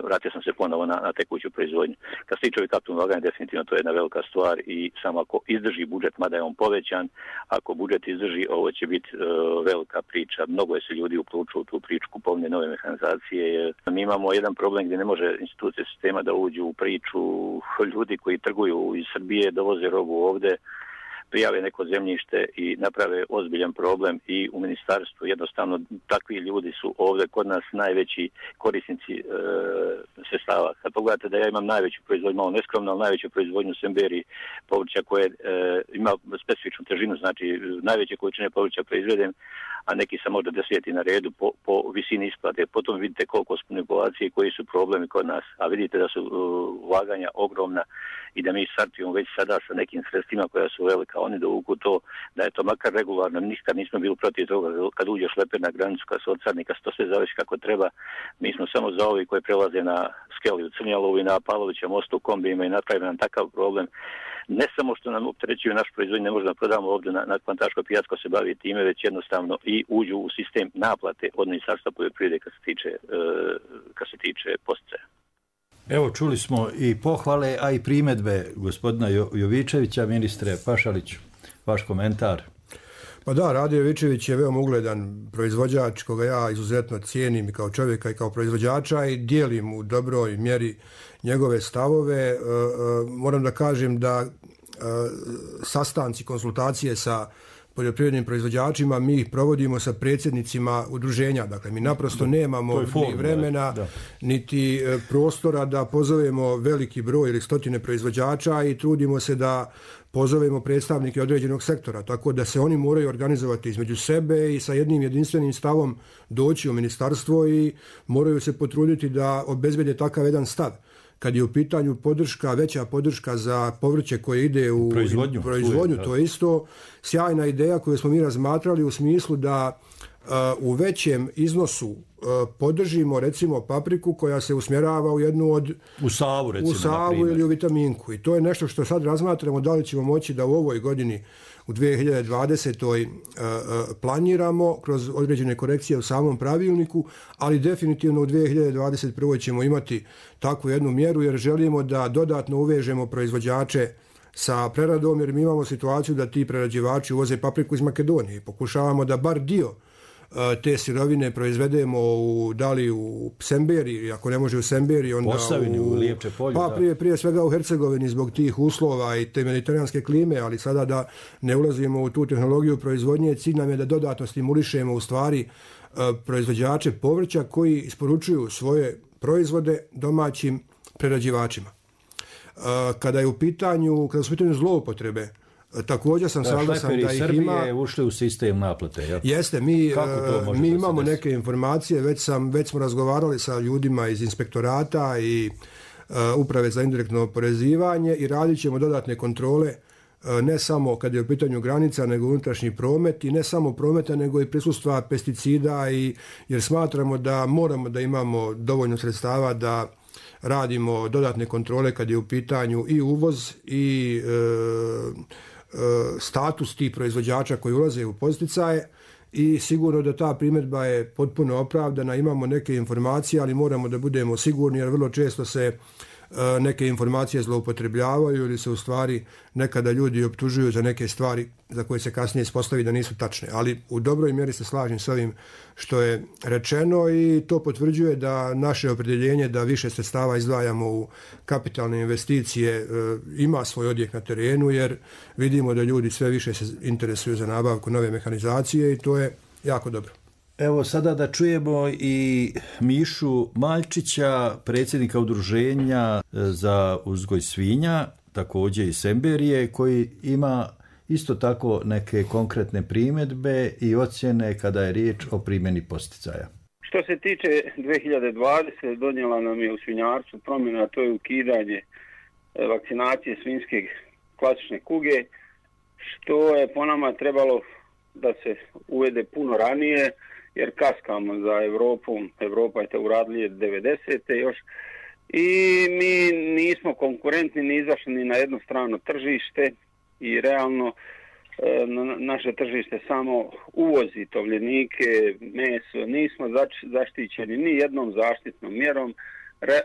Vratio sam se ponovo na tekuću proizvodnju. Kad se tiče ovih kapitalnih ulaganja, definitivno to je jedna velika stvar i samo ako izdrži budžet, mada je on povećan, ako budžet izdrži, ovo će biti velika priča. Mnogo je se ljudi uključilo u tu priču kupovne nove mehanizacije. Mi imamo jedan problem gdje ne može institucije sistema da uđu u priču. Ljudi koji trguju iz Srbije dovoze robu ovde, prijave neko zemljište i naprave ozbiljan problem i u ministarstvu. Jednostavno, takvi ljudi su ovdje kod nas najveći korisnici sredstava. Kad pogledate da ja imam najveću proizvodnju, malo neskromno, ali najveću proizvodnju semberi povrća koje ima specifičnu težinu, znači najveće količine povrća proizvedem, a neki sam možda 10. na redu po visini isplate. Potom vidite koliko su manipulacije i koji su problemi kod nas, a vidite da su ulaganja ogromna i da mi startujemo već sada sa nekim sredstvima koja su velika. Oni dovuku to da je to makar regularno, nikad nismo bili protiv toga kad uđe šleper na granicu, kad se odsarni, kad se to sve završi kako treba. Mi smo samo za ovi koji prelaze na Skeli u Crnjalovu i na Pavlovića mostu u kombijima i napravimo nam takav problem. Ne samo što nam opterećuju naš proizvodnju, ne možemo da prodamo ovdje na Kvantaško pijačko se bavi time, već jednostavno i uđu u sistem naplate od Ministarstva poljoprivrede kad se tiče podsticaja. Evo, čuli smo i pohvale, a i primjedbe gospodina Jovičevića. Ministre Pašaliću, vaš komentar. Pa da, Rade Jovičević je veoma ugledan proizvođač koga ja izuzetno cijenim i kao čovjeka i kao proizvođača i dijelim u dobroj mjeri njegove stavove. Moram da kažem da sastanci, konsultacije sa poljoprivrednim proizvođačima, mi ih provodimo sa predsjednicima udruženja. Dakle, mi naprosto nemamo ni vremena, niti prostora da pozovemo veliki broj ili stotine proizvođača i trudimo se da pozovemo predstavnike određenog sektora, tako da se oni moraju organizovati između sebe i sa jednim jedinstvenim stavom doći u ministarstvo i moraju se potruditi da obezbede takav jedan stav. Kad je u pitanju podrška, veća podrška za povrće koje ide u proizvodnju, to je isto sjajna ideja koju smo mi razmatrali u smislu da u većem iznosu podržimo recimo papriku koja se usmjerava u jednu od u savu, recimo, u savu ili u vitaminku. I to je nešto što sad razmatramo da li ćemo moći da u ovoj godini u 2020. Planiramo kroz određene korekcije u samom pravilniku, ali definitivno u 2021. ćemo imati takvu jednu mjeru jer želimo da dodatno uvežemo proizvođače sa preradom, jer mi imamo situaciju da ti prerađivači uvoze papriku iz Makedonije i pokušavamo da bar dio te sirovine proizvedemo da li u Semberi, ako ne može u Semberi, onda Posavini, u Lijepče polju. Pa prije svega u Hercegovini zbog tih uslova i te mediteranske klime, ali sada da ne ulazimo u tu tehnologiju proizvodnje, cilj nam je da dodatno stimulišemo u stvari proizvođače povrća koji isporučuju svoje proizvode domaćim prerađivačima. Kada su u pitanju zloupotrebe, također sam saglasan da ih ima. Srbije ušli u sistem naplate. Ja? Jeste, mi imamo neke informacije, već smo razgovarali sa ljudima iz inspektorata i uprave za indirektno oporezivanje i radit ćemo dodatne kontrole ne samo kad je u pitanju granica, nego unutrašnji promet i ne samo prometa, nego i prisustva pesticida jer smatramo da moramo da imamo dovoljno sredstava da radimo dodatne kontrole kad je u pitanju i uvoz i status tih proizvođača koji ulaze u podsticaje i sigurno da ta primjedba je potpuno opravdana, imamo neke informacije, ali moramo da budemo sigurni jer vrlo često se neke informacije zloupotrebljavaju ili se u stvari nekada ljudi optužuju za neke stvari za koje se kasnije ispostavi da nisu tačne. Ali u dobroj mjeri se slažem s ovim što je rečeno i to potvrđuje da naše opredjeljenje da više sredstava izdvajamo u kapitalne investicije ima svoj odjek na terenu jer vidimo da ljudi sve više se interesuju za nabavku nove mehanizacije i to je jako dobro. Evo sada da čujemo i Mišu Maljčića, predsjednika udruženja za uzgoj svinja, također iz Semberije, koji ima isto tako neke konkretne primjedbe i ocjene kada je riječ o primjeni posticaja. Što se tiče 2020, donijela nam je u svinjarstvu promjena, to je ukidanje vakcinacije svinjske klasične kuge, što je po nama trebalo da se uvede puno ranije, jer kaskamo za Europom. Europa je to uradila 90. još i mi nismo konkurentni ni izašli ni na jedno strano tržište i realno naše tržište samo uvozi tovljenike, meso, nismo zaštićeni ni jednom zaštitnom mjerom,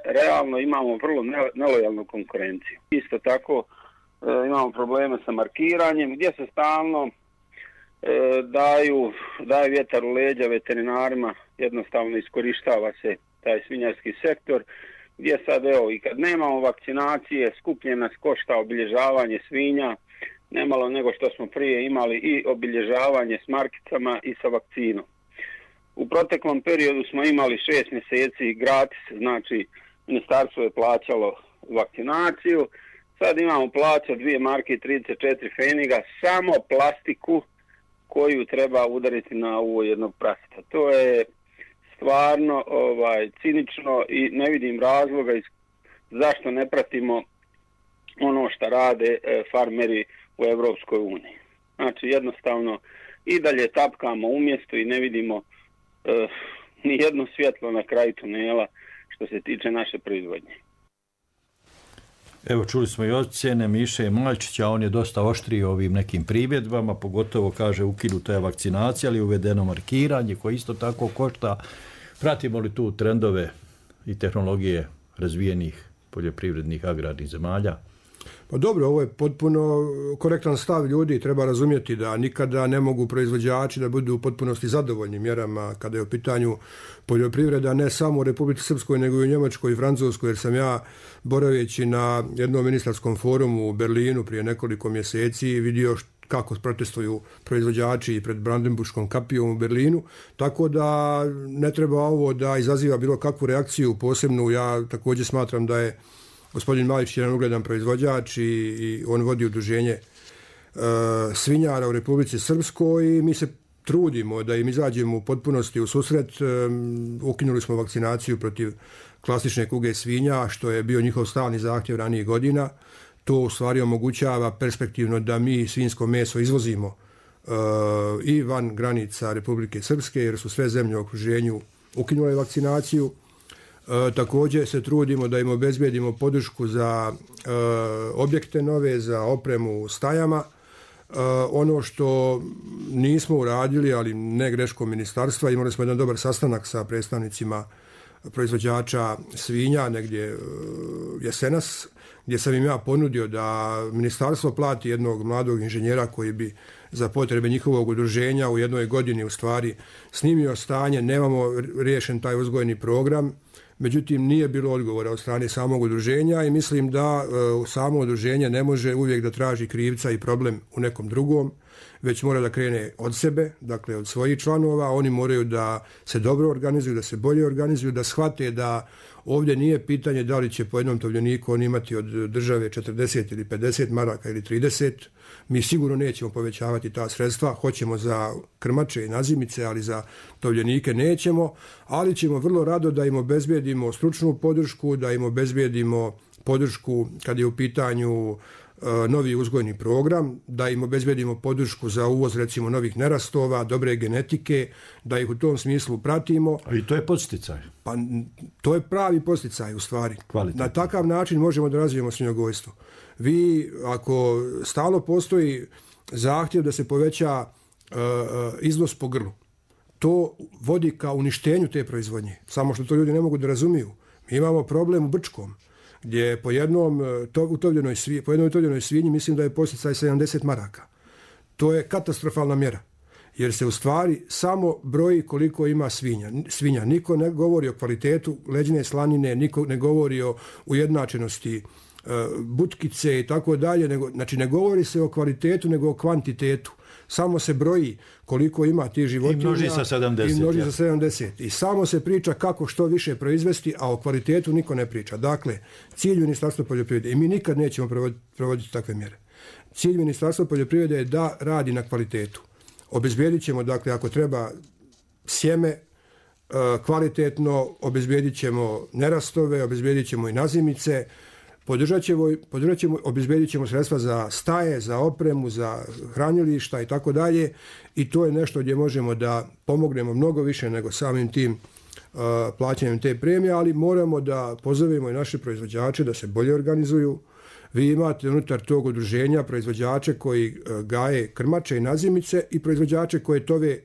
realno imamo vrlo nelojalnu konkurenciju. Isto tako imamo probleme sa markiranjem gdje se stalno daju vjetar u leđa veterinarima, jednostavno iskorištava se taj svinjarski sektor, gdje sad evo i kad nemamo vakcinacije, skuplje nas košta obilježavanje svinja, nemalo nego što smo prije imali i obilježavanje s markicama i sa vakcinom. U proteklom periodu smo imali 6 mjeseci gratis, znači ministarstvo je plaćalo vakcinaciju, sad imamo plaća 2 marke i 34 feniga, samo plastiku koju treba udariti na uvo jednog praseta. To je stvarno cinično i ne vidim razloga zašto ne pratimo ono što rade farmeri u Europskoj uniji. Znači jednostavno i dalje tapkamo u mjestu i ne vidimo ni jedno svjetlo na kraju tunela što se tiče naše proizvodnje. Evo čuli smo i ocjene Miše Maljčića, on je dosta oštrio ovim nekim primjedbama, pogotovo kaže ukinuta je vakcinacija, ali uvedeno markiranje koje isto tako košta. Pratimo li tu trendove i tehnologije razvijenih poljoprivrednih agrarnih zemalja? Pa dobro, ovo je potpuno korektan stav ljudi, treba razumjeti da nikada ne mogu proizvođači da budu u potpunosti zadovoljni mjerama kada je u pitanju poljoprivreda, ne samo u Republici Srpskoj, nego i u Njemačkoj i Francuskoj, jer sam ja boraveći na jednom ministarskom forumu u Berlinu prije nekoliko mjeseci vidio kako protestuju proizvođači i pred Brandenburškom kapijom u Berlinu, tako da ne treba ovo da izaziva bilo kakvu reakciju posebnu. Ja također smatram da je gospodin Majić jedan ugledan proizvođač i on vodi udruženje svinjara u Republici Srpskoj i mi se trudimo da im izađemo u potpunosti u susret. Ukinuli smo vakcinaciju protiv klasične kuge svinja, što je bio njihov stalni zahtjev ranijih godina. To u stvari omogućava perspektivno da mi svinjsko meso izvozimo i van granica Republike Srpske, jer su sve zemlje u okruženju ukinule vakcinaciju. Također se trudimo da im obezbijedimo podršku za objekte nove, za opremu u stajama. Ono što nismo uradili, ali ne greškom ministarstva, imali smo jedan dobar sastanak sa predstavnicima proizvođača svinja negdje jesenas, gdje sam im ja ponudio da ministarstvo plati jednog mladog inženjera koji bi za potrebe njihovog udruženja u jednoj godini u stvari snimio stanje. Nemamo riješen taj uzgojni program, međutim nije bilo odgovora od strane samog udruženja i mislim da samo udruženje ne može uvijek da traži krivca i problem u nekom drugom. već mora da krene od sebe, dakle od svojih članova. Oni moraju da se dobro organizuju, da se bolje organizuju, da shvate da ovdje nije pitanje da li će po jednom tovljeniku on imati od države 40 ili 50 maraka ili 30. Mi sigurno nećemo povećavati ta sredstva, hoćemo za krmače i nazimice, ali za tovljenike nećemo, ali ćemo vrlo rado da im obezbijedimo stručnu podršku, da im obezbijedimo podršku kad je u pitanju novi uzgojni program, da im obezbijedimo podršku za uvoz recimo novih nerastova, dobre genetike, da ih u tom smislu pratimo. A i to je podsticaj. Pa to je pravi podsticaj u stvari. Na takav način možemo da razvijemo svinjogojstvo. Vi, ako stalno postoji zahtjev da se poveća iznos po grlu, to vodi ka uništenju te proizvodnje. Samo što to ljudi ne mogu da razumiju. Mi imamo problem u Brčkom, gdje po jednoj utovljenoj svinji mislim da je podsticaj 70 maraka. To je katastrofalna mjera, jer se u stvari samo broji koliko ima svinja. Niko ne govori o kvalitetu leđne slanine, niko ne govori o ujednačenosti butkice i tako dalje. Znači ne govori se o kvalitetu, nego o kvantitetu. Samo se broji koliko ima tih životinja. I množi sa 70. I samo se priča kako što više proizvesti, a o kvalitetu niko ne priča. Dakle, cilj Ministarstva poljoprivrede, i mi nikad nećemo provoditi takve mjere, cilj Ministarstva poljoprivrede je da radi na kvalitetu. Obezbijedit ćemo, dakle, ako treba sjeme kvalitetno, obezbijedit ćemo nerastove, obezbijedit ćemo i nazimice, podržat ćemo, obezbijedit ćemo sredstva za staje, za opremu, za hranilišta i tako dalje, i to je nešto gdje možemo da pomognemo mnogo više nego samim tim plaćanjem te premije, ali moramo da pozovemo i naše proizvođače da se bolje organizuju. Vi imate unutar tog udruženja proizvođače koji gaje krmače i nazimice i proizvođače koje tove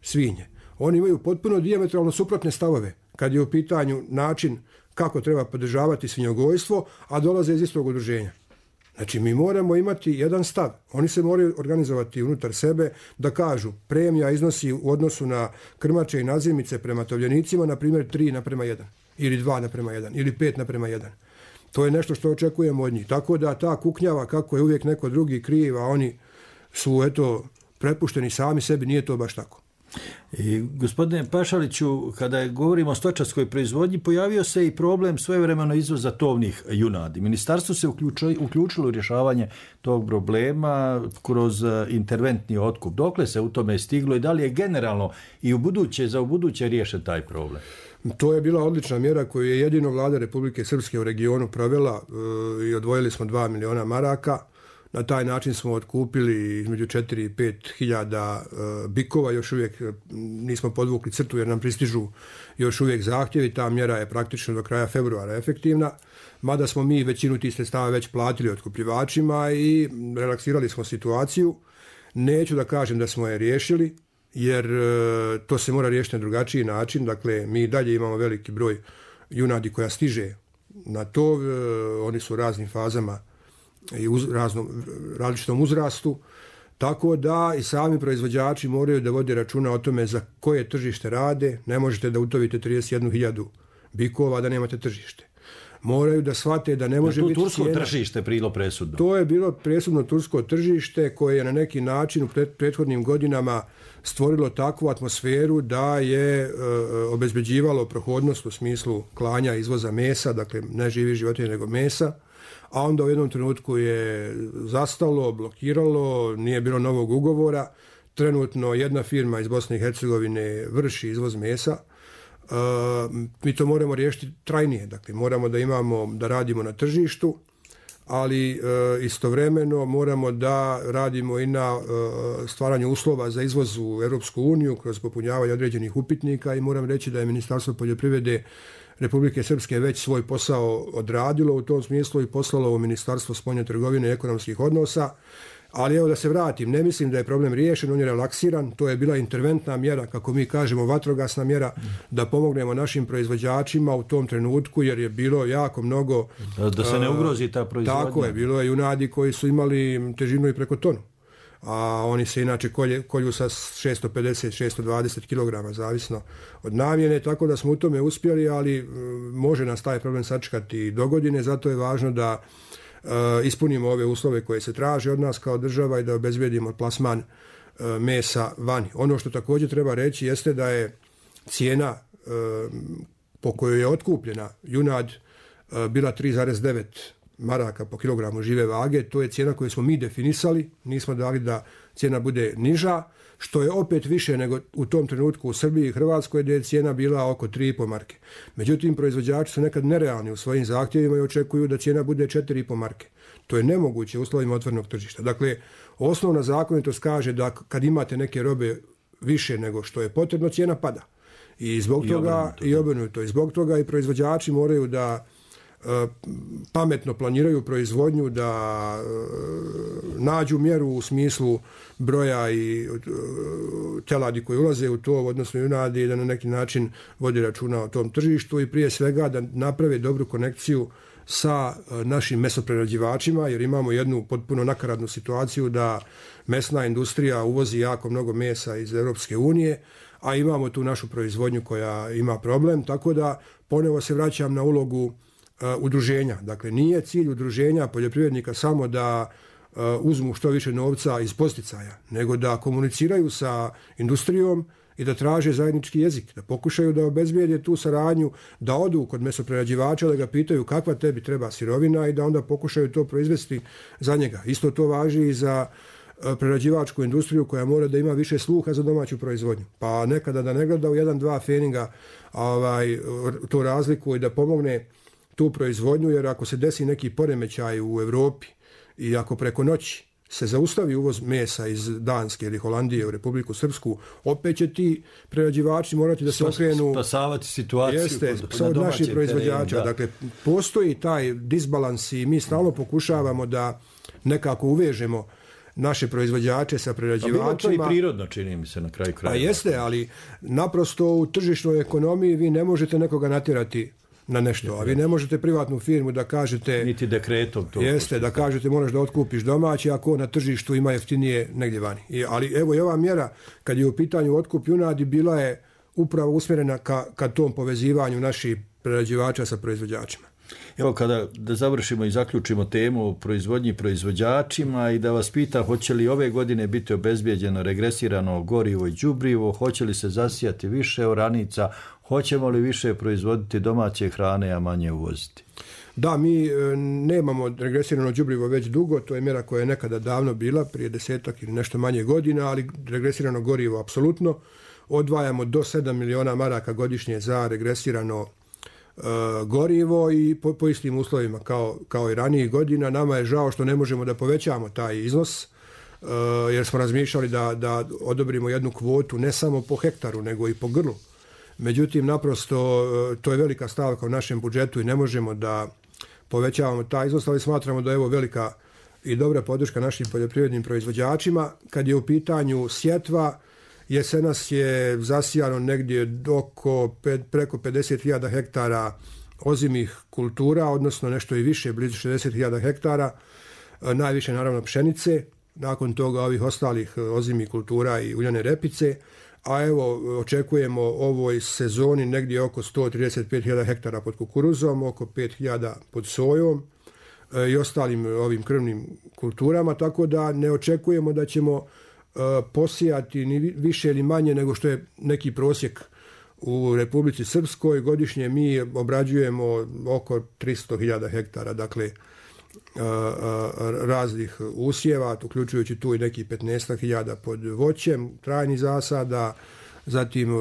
svinje. Oni imaju potpuno dijametralno suprotne stavove kad je u pitanju način kako treba podržavati svinjogojstvo, a dolaze iz istog udruženja. Znači, mi moramo imati jedan stav. Oni se moraju organizovati unutar sebe da kažu premija iznosi u odnosu na krmače i nazimice prema tovljenicima, na primjer 3:1, ili 2:1, ili 5:1. To je nešto što očekujemo od njih. Tako da ta kuknjava kako je uvijek neko drugi kriv, a oni su prepušteni sami sebi, nije to baš tako. I, gospodine Pašaliću, kada govorimo o stočarskoj proizvodnji, pojavio se i problem svojevremeno izvoza tovnih junadi. Ministarstvo se uključilo u rješavanje tog problema kroz interventni otkup. Dokle se u tome stiglo i da li je generalno i za ubuduće riješen taj problem? To je bila odlična mjera koju je jedino vlada Republike Srpske u regionu provela i odvojili smo 2 miliona maraka. Na taj način smo otkupili između 4 i 5 hiljada bikova, još uvijek nismo podvukli crtu jer nam pristižu još uvijek zahtjevi, ta mjera je praktično do kraja februara efektivna, mada smo mi većinu tih sredstava već platili otkupljivačima i relaksirali smo situaciju. Neću da kažem da smo je riješili, jer to se mora riješiti na drugačiji način, dakle mi dalje imamo veliki broj junadi koja stiže na tov, oni su u raznim fazama i različitom uzrastu, tako da i sami proizvođači moraju da vode računa o tome za koje tržište rade. Ne možete da utovite 31.000 bikova da nemate tržište. Moraju da shvate da ne može biti cijena. Tursko tržište bilo presudno. To je bilo presudno tursko tržište koje je na neki način u prethodnim godinama stvorilo takvu atmosferu da je obezbeđivalo prohodnost u smislu klanja izvoza mesa, dakle ne živih životinja nego mesa, a onda u jednom trenutku je zastalo, blokiralo, nije bilo novog ugovora. Trenutno jedna firma iz Bosne i Hercegovine vrši izvoz mesa. Mi to moramo riješiti trajnije, dakle moramo da radimo na tržištu, ali istovremeno moramo da radimo i na stvaranju uslova za izvoz u Europsku uniju kroz popunjavanje određenih upitnika, i moram reći da je Ministarstvo poljoprivrede Republike Srpske već svoj posao odradilo u tom smislu i poslalo u Ministarstvo spoljne trgovine i ekonomskih odnosa. Ali evo da se vratim, ne mislim da je problem riješen, on je relaksiran, to je bila interventna mjera, kako mi kažemo vatrogasna mjera, da pomognemo našim proizvođačima u tom trenutku, jer je bilo jako mnogo... Da se ne ugrozi ta proizvodnja. Tako je, bilo je junadi koji su imali težinu i preko tonu, a oni se inače kolju sa 650-620 kg, zavisno od namjene, tako da smo u tome uspjeli, ali može nas taj problem sačekati do godine, zato je važno da ispunimo ove uslove koje se traže od nas kao država i da obezbijedimo plasman mesa vani. Ono što također treba reći jeste da je cijena po kojoj je otkupljena junad bila 3,9 maraka po kilogramu žive vage. To je cijena koju smo mi definisali, nismo dali da cijena bude niža, što je opet više nego u tom trenutku u Srbiji i Hrvatskoj gdje je cijena bila oko 3,5 marke. Međutim, proizvođači su nekad nerealni u svojim zahtjevima i očekuju da cijena bude 4,5 marke. To je nemoguće u uslovima otvorenog tržišta. Dakle, osnovna zakonitost kaže da kad imate neke robe više nego što je potrebno, cijena pada. I zbog toga i obrnuto. I zbog toga i proizvođači moraju da pametno planiraju proizvodnju, da nađu mjeru u smislu broja i teladi koji ulaze u to, odnosno junadi, da na neki način vodi računa o tom tržištu i prije svega da naprave dobru konekciju sa našim mesoprerađivačima, jer imamo jednu potpuno nakaradnu situaciju da mesna industrija uvozi jako mnogo mesa iz Europske unije, a imamo tu našu proizvodnju koja ima problem, tako da ponovo se vraćam na ulogu udruženja. Dakle, nije cilj udruženja poljoprivrednika samo da uzmu što više novca iz posticaja, nego da komuniciraju sa industrijom i da traže zajednički jezik, da pokušaju da obezbijede tu saradnju, da odu kod mesoprerađivača, da ga pitaju kakva tebi treba sirovina i da onda pokušaju to proizvesti za njega. Isto to važi i za prerađivačku industriju koja mora da ima više sluha za domaću proizvodnju. Pa nekada da ne gleda u 1-2 feninga to razliku i da pomogne tu proizvodnju, jer ako se desi neki poremećaj u Europi i ako preko noći se zaustavi uvoz mesa iz Danske ili Holandije u Republiku Srpsku, opet će ti prerađivači morati da se okrenu spasavati situaciju od naših proizvođača. Dakle, postoji taj disbalans i mi stalno pokušavamo da nekako uvežemo naše proizvođače sa prerađivačima. A bilo to i prirodno, čini mi se, na kraju kraja. A jeste, ali naprosto u tržišnoj ekonomiji vi ne možete nekoga natjerati na nešto, a vi ne možete privatnu firmu da kažete... Niti dekretom to. Jeste, da kažete moraš da otkupiš domaći, ako na tržištu ima jeftinije negdje vani. Ali evo i ova mjera, kad je u pitanju otkup junadi, bila je upravo usmjerena ka tom povezivanju naših prerađivača sa proizvođačima. Evo, da završimo i zaključimo temu o proizvodnji proizvođačima i da vas pitam, hoće li ove godine biti obezbijeđeno regresirano gorivo i đubrivo, hoće li se zasijati više oranica, hoćemo li više proizvoditi domaće hrane, a manje uvoziti? Da, mi nemamo regresirano đubrivo već dugo, to je mjera koja je nekada davno bila, prije 10 ili nešto manje godina, ali regresirano gorivo apsolutno. Odvajamo do 7 miliona maraka godišnje za regresirano gorivo i po istim uslovima kao i ranijih godina. Nama je žao što ne možemo da povećamo taj iznos, jer smo razmišljali da odobrimo jednu kvotu ne samo po hektaru, nego i po grlu. Međutim, naprosto to je velika stavka u našem budžetu i ne možemo da povećavamo taj iznos, ali smatramo da je ovo velika i dobra podrška našim poljoprivrednim proizvođačima. Kad je u pitanju sjetva, jesenas je zasijano negdje preko 50.000 hektara ozimih kultura, odnosno nešto i više, blizu 60.000 hektara, najviše naravno pšenice, nakon toga ovih ostalih ozimih kultura i uljane repice, a evo očekujemo ovoj sezoni negdje oko 135.000 hektara pod kukuruzom, oko 5.000 pod sojom i ostalim ovim krvnim kulturama, tako da ne očekujemo da ćemo posijati ni više ili manje nego što je neki prosjek u Republici Srpskoj. Godišnje mi obrađujemo oko 300.000 hektara, dakle raznih usjeva, uključujući tu i neki 15.000 pod voćem, trajnih zasada, zatim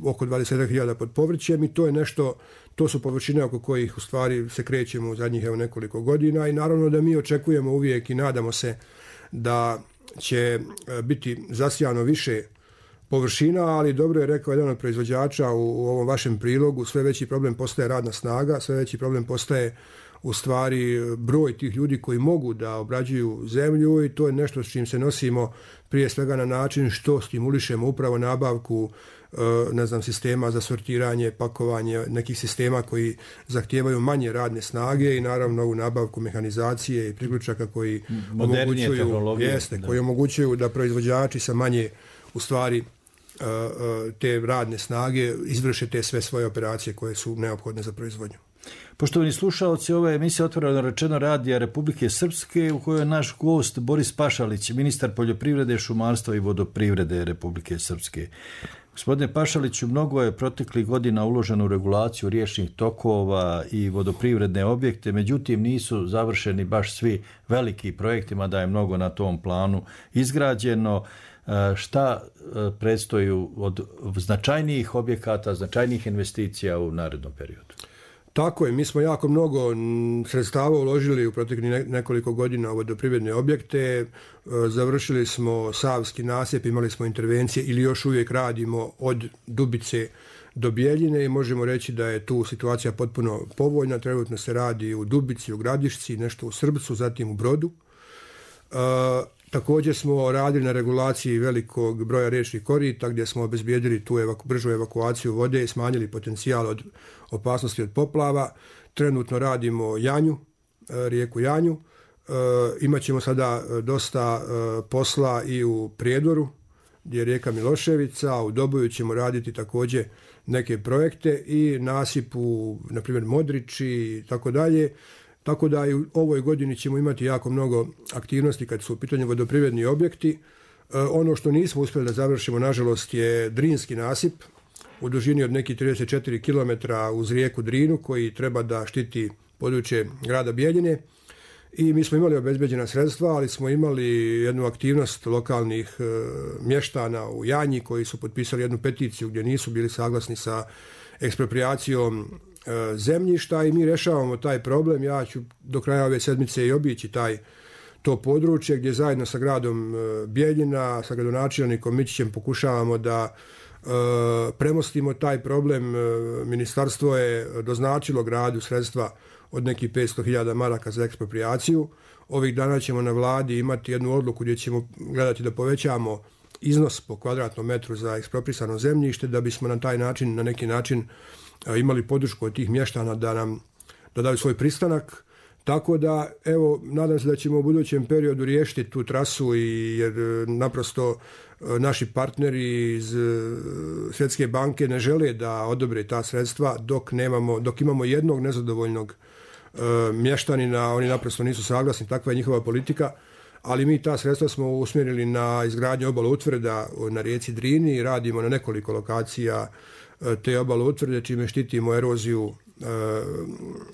oko 20.000 pod povrćem i to je nešto, to su površine oko kojih u stvari se krećemo u zadnjih nekoliko godina i naravno da mi očekujemo uvijek i nadamo se da će biti zasijano više površina, ali dobro je rekao jedan od proizvođača u ovom vašem prilogu, sve veći problem postaje radna snaga, sve veći problem postaje u stvari broj tih ljudi koji mogu da obrađuju zemlju i to je nešto s čim se nosimo prije svega na način što stimulišemo upravo nabavku sistema za sortiranje, pakovanje, nekih sistema koji zahtijevaju manje radne snage i naravno ovu nabavku mehanizacije i priključaka koji omogućuju da proizvođači sa manje u stvari te radne snage izvrše te sve svoje operacije koje su neophodne za proizvodnju. Poštovani slušaoci, ova je emisija Otvoreno rečeno radija Republike Srpske u kojoj je naš gost Boris Pašalić, ministar poljoprivrede, šumarstva i vodoprivrede Republike Srpske. Gospodine Pašaliću, mnogo je proteklih godina uloženo u regulaciju riječnih tokova i vodoprivredne objekte, međutim nisu završeni baš svi veliki projektima, da je mnogo na tom planu izgrađeno. Šta predstoji od značajnijih objekata, značajnijih investicija u narednom periodu? Tako je, mi smo jako mnogo sredstava uložili u proteklih nekoliko godina u vodoprivredne objekte. Završili smo Savski nasip, imali smo intervencije ili još uvijek radimo od Dubice do Bjeljine i možemo reći da je tu situacija potpuno povoljna. Trenutno se radi u Dubici, u Gradišci, nešto u Srbcu, zatim u Brodu. Također smo radili na regulaciji velikog broja riječnih korita gdje smo obezbijedili tu bržu evakuaciju vode i smanjili potencijal od opasnosti od poplava. Trenutno radimo Janju, rijeku Janju. Imaćemo sada dosta posla i u Prijedoru gdje je rijeka Miloševica, a u Doboju ćemo raditi također neke projekte i nasipu, na primjer Modrići i tako dalje. Tako da i u ovoj godini ćemo imati jako mnogo aktivnosti kad su u pitanju vodoprivredni objekti. Ono što nismo uspjeli da završimo, nažalost, je Drinski nasip u dužini od nekih 34 km uz rijeku Drinu koji treba da štiti područje grada Bjeljine. I mi smo imali obezbeđena sredstva, ali smo imali jednu aktivnost lokalnih mještana u Janji koji su potpisali jednu peticiju gdje nisu bili saglasni sa eksproprijacijom zemljišta i mi rješavamo taj problem. Ja ću do kraja ove sedmice i obići to područje gdje zajedno sa gradom Bjeljina, sa gradonačelnikom Mićićem pokušavamo da premostimo taj problem. Ministarstvo je doznačilo gradu sredstva od nekih 500.000 maraka za eksproprijaciju. Ovih dana ćemo na vladi imati jednu odluku gdje ćemo gledati da povećamo iznos po kvadratnom metru za eksproprisano zemljište da bismo na taj način, na neki način imali podršku od tih mještana da daju svoj pristanak. Tako da, evo, nadam se da ćemo u budućem periodu riješiti tu trasu jer naprosto naši partneri iz Svjetske banke ne žele da odobre ta sredstva dok imamo jednog nezadovoljnog mještanina, oni naprosto nisu saglasni, takva je njihova politika, ali mi ta sredstva smo usmjerili na izgradnju obaloutvrda na rijeci Drini i radimo na nekoliko lokacija te obaloutvrde čime štitimo eroziju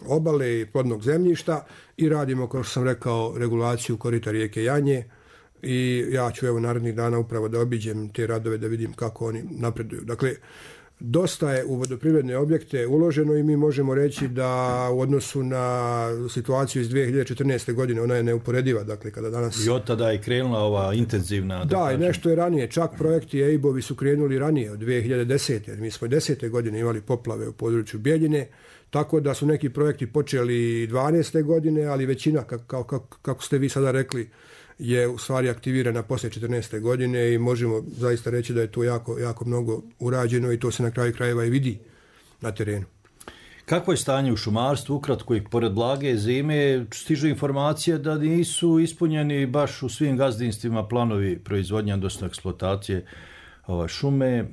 obale i plodnog zemljišta i radimo, kao što sam rekao, regulaciju korita rijeke Janje i ja ću narednih dana upravo da obiđem te radove da vidim kako oni napreduju. Dakle, dosta je u vodoprivredne objekte uloženo i mi možemo reći da u odnosu na situaciju iz 2014. godine ona je neuporediva. Dakle, kada danas... I od tada je krenula ova intenzivna... Da, i nešto je ranije. Čak projekti EIB-ovi su krenuli ranije, od 2010. Jer mi smo 10. godine imali poplave u području Bjeljine, tako da su neki projekti počeli 12. godine, ali većina, kako ste vi sada rekli, je u stvari aktivirana poslije 14. godine i možemo zaista reći da je to jako, jako mnogo urađeno i to se na kraju krajeva i vidi na terenu. Kakvo je stanje u šumarstvu? Ukratko, i pored blage zime stižu informacije da nisu ispunjeni baš u svim gazdinstvima planovi proizvodnje, odnosno eksploatacije šume.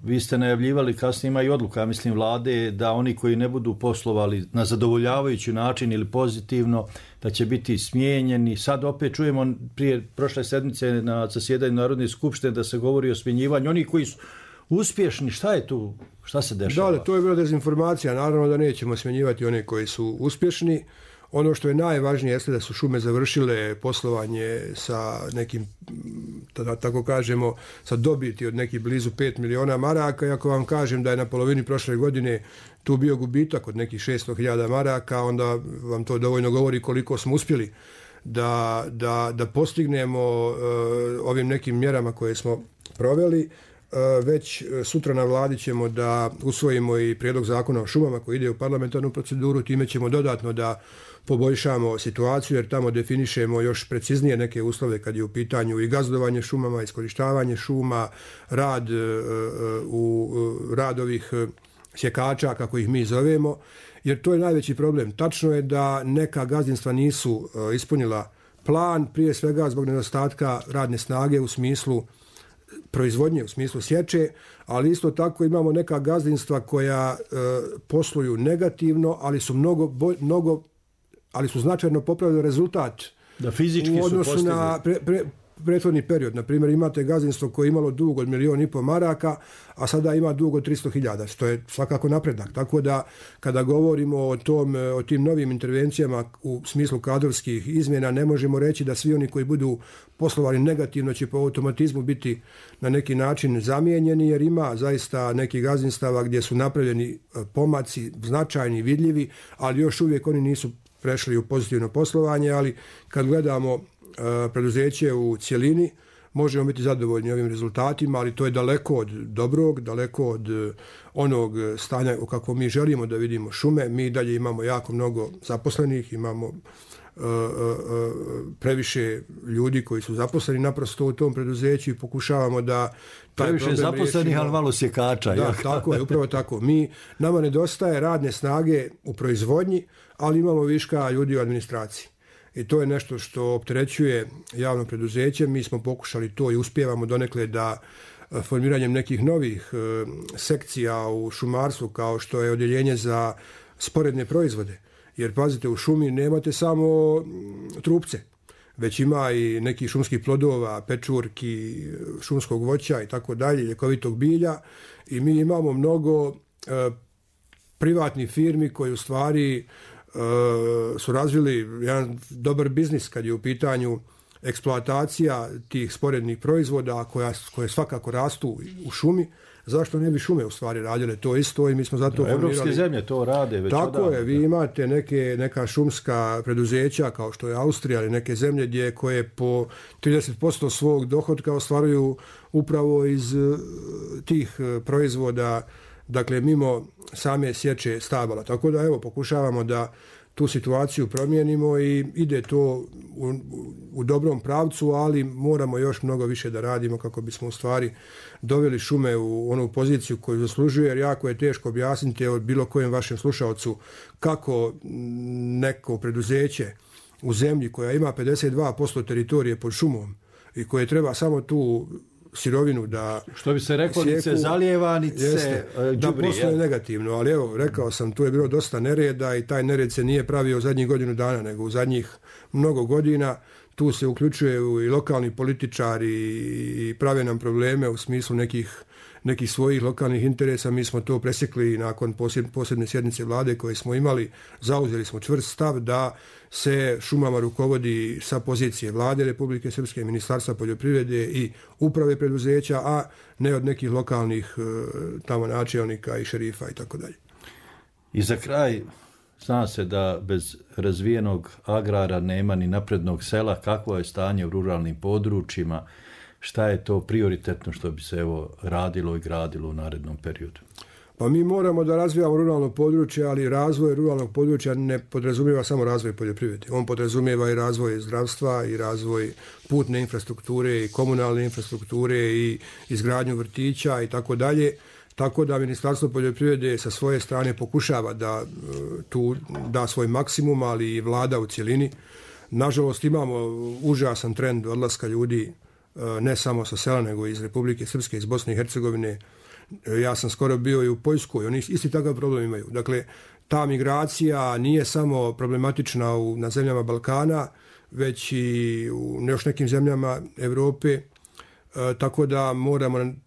Vi ste najavljivali, kasnije ima i odluka, mislim, vlade, da oni koji ne budu poslovali na zadovoljavajući način ili pozitivno, da će biti smijenjeni. Sad opet čujemo prije prošle sedmice na zasjedanju Narodne skupštine da se govori o smjenjivanju. Oni koji su uspješni, šta je tu, šta se dešava? Da, to je bila dezinformacija. Naravno da nećemo smjenjivati one koji su uspješni. Ono što je najvažnije jeste da su šume završile poslovanje sa nekim, da tako kažemo, sa dobiti od nekih blizu 5 miliona maraka. I ako vam kažem da je na polovini prošle godine tu bio gubitak od nekih 600.000 maraka, onda vam to dovoljno govori koliko smo uspjeli da postignemo ovim nekim mjerama koje smo proveli. Već sutra na vladi ćemo da usvojimo i prijedlog zakona o šumama koji ide u parlamentarnu proceduru, time ćemo dodatno da poboljšamo situaciju jer tamo definišemo još preciznije neke uslove kad je u pitanju i gazdovanje šumama, iskorištavanje šuma, rad ovih sjekača, kako ih mi zovemo, jer to je najveći problem. Tačno je da neka gazdinstva nisu ispunila plan, prije svega zbog nedostatka radne snage u smislu proizvodnje u smislu sječe, ali isto tako imamo neka gazdinstva koja posluju negativno, ali su ali su značajno popravili rezultat da fizički u odnosu su na prethodni period. Na primjer, imate gazdinstvo koje je imalo dug od 1,5 milijuna maraka, a sada ima dug od 300.000, što je svakako napredak. Tako da, kada govorimo o tim novim intervencijama u smislu kadrovskih izmjena, ne možemo reći da svi oni koji budu poslovali negativno će po automatizmu biti na neki način zamijenjeni, jer ima zaista nekih gazdinstava gdje su napravljeni pomaci značajni, vidljivi, ali još uvijek oni nisu prešli u pozitivno poslovanje, ali kad gledamo preduzeće u cjelini, možemo biti zadovoljni ovim rezultatima, ali to je daleko od dobrog, daleko od onog stanja u kakvom mi želimo da vidimo šume. Mi dalje imamo jako mnogo zaposlenih, imamo previše ljudi koji su zaposleni naprosto u tom preduzeću i pokušavamo da taj previše problem zaposlenih, riješimo. Ali malo sjekača. Da, tako je, upravo tako. Nama nedostaje radne snage u proizvodnji, ali imamo viška ljudi u administraciji. I to je nešto što opterećuje javno preduzeće. Mi smo pokušali to i uspijevamo donekle da formiranjem nekih novih sekcija u šumarstvu, kao što je odjeljenje za sporedne proizvode. Jer pazite, u šumi nemate samo trupce, već ima i nekih šumskih plodova, pečurki, šumskog voća i tako dalje, ljekovitog bilja. I mi imamo mnogo privatnih firmi koji u stvari su razvili jedan dobar biznis kad je u pitanju eksploatacija tih sporednih proizvoda koje svakako rastu u šumi. Zašto ne bi šume u stvari radile to isto i mi smo zato formirali. Evropske zemlje to rade već odavno. Tako je, vi imate neka šumska preduzeća kao što je Austrija ili neke zemlje koje po 30% svog dohotka ostvaruju upravo iz tih proizvoda, dakle mimo same sječe stabala. Tako da evo pokušavamo da tu situaciju promijenimo i ide to u dobrom pravcu, ali moramo još mnogo više da radimo kako bismo u stvari doveli šume u onu poziciju koju zaslužuje, jer jako je teško objasniti od bilo kojem vašem slušalcu kako neko preduzeće u zemlji koja ima 52% teritorije pod šumom i koje treba samo tu sirovinu da što bi se reklo, nice zalijeva, nice đubri, da posluje negativno, ali evo, rekao sam, tu je bilo dosta nereda i taj nered se nije pravio u zadnjih godinu dana, nego u zadnjih mnogo godina. Tu se uključuju i lokalni političari i prave nam probleme u smislu nekih svojih lokalnih interesa. Mi smo to presjekli nakon posebne sjednice vlade koje smo imali. Zauzeli smo čvrst stav da se šumama rukovodi sa pozicije vlade Republike Srpske, Ministarstva poljoprivrede i uprave preduzeća, a ne od nekih lokalnih tamo načelnika i šerifa i tako dalje. I za kraj, zna se da bez razvijenog agrara nema ni naprednog sela. Kakvo je stanje u ruralnim područjima? Šta je to prioritetno što bi se radilo i gradilo u narednom periodu? Pa mi moramo da razvijamo ruralno područje, ali razvoj ruralnog područja ne podrazumijeva samo razvoj poljoprivrede. On podrazumijeva i razvoj zdravstva i razvoj putne infrastrukture i komunalne infrastrukture i izgradnju vrtića i tako dalje. Tako da Ministarstvo poljoprivrede sa svoje strane pokušava da tu da svoj maksimum, ali i vlada u cjelini. Nažalost imamo užasan trend odlaska ljudi ne samo sa sela, nego iz Republike Srpske, iz Bosne i Hercegovine. Ja sam skoro bio i u Poljskoj, oni isti takav problem imaju. Dakle, ta migracija nije samo problematična na zemljama Balkana, već i u još nekim zemljama Europe, tako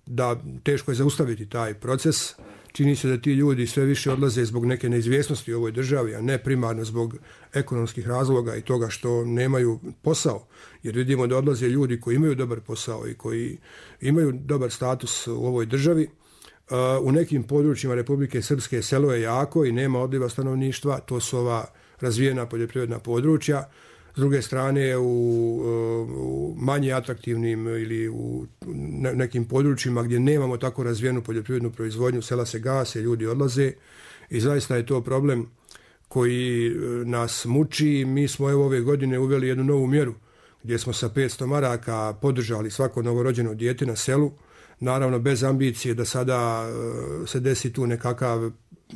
da teško je zaustaviti taj proces. Čini se da ti ljudi sve više odlaze zbog neke neizvjesnosti u ovoj državi, a ne primarno zbog ekonomskih razloga i toga što nemaju posao. Jer vidimo da odlaze ljudi koji imaju dobar posao i koji imaju dobar status u ovoj državi. U nekim područjima Republike Srpske selo je jako i nema odliva stanovništva, to su ova razvijena poljoprivredna područja. S druge strane, u manje atraktivnim ili u nekim područjima gdje nemamo tako razvijenu poljoprivrednu proizvodnju, sela se gase, ljudi odlaze i zaista je to problem koji nas muči. Mi smo ove godine uveli jednu novu mjeru gdje smo sa 500 maraka podržali svako novorođeno dijete na selu, naravno bez ambicije da sada se desi tu nekakav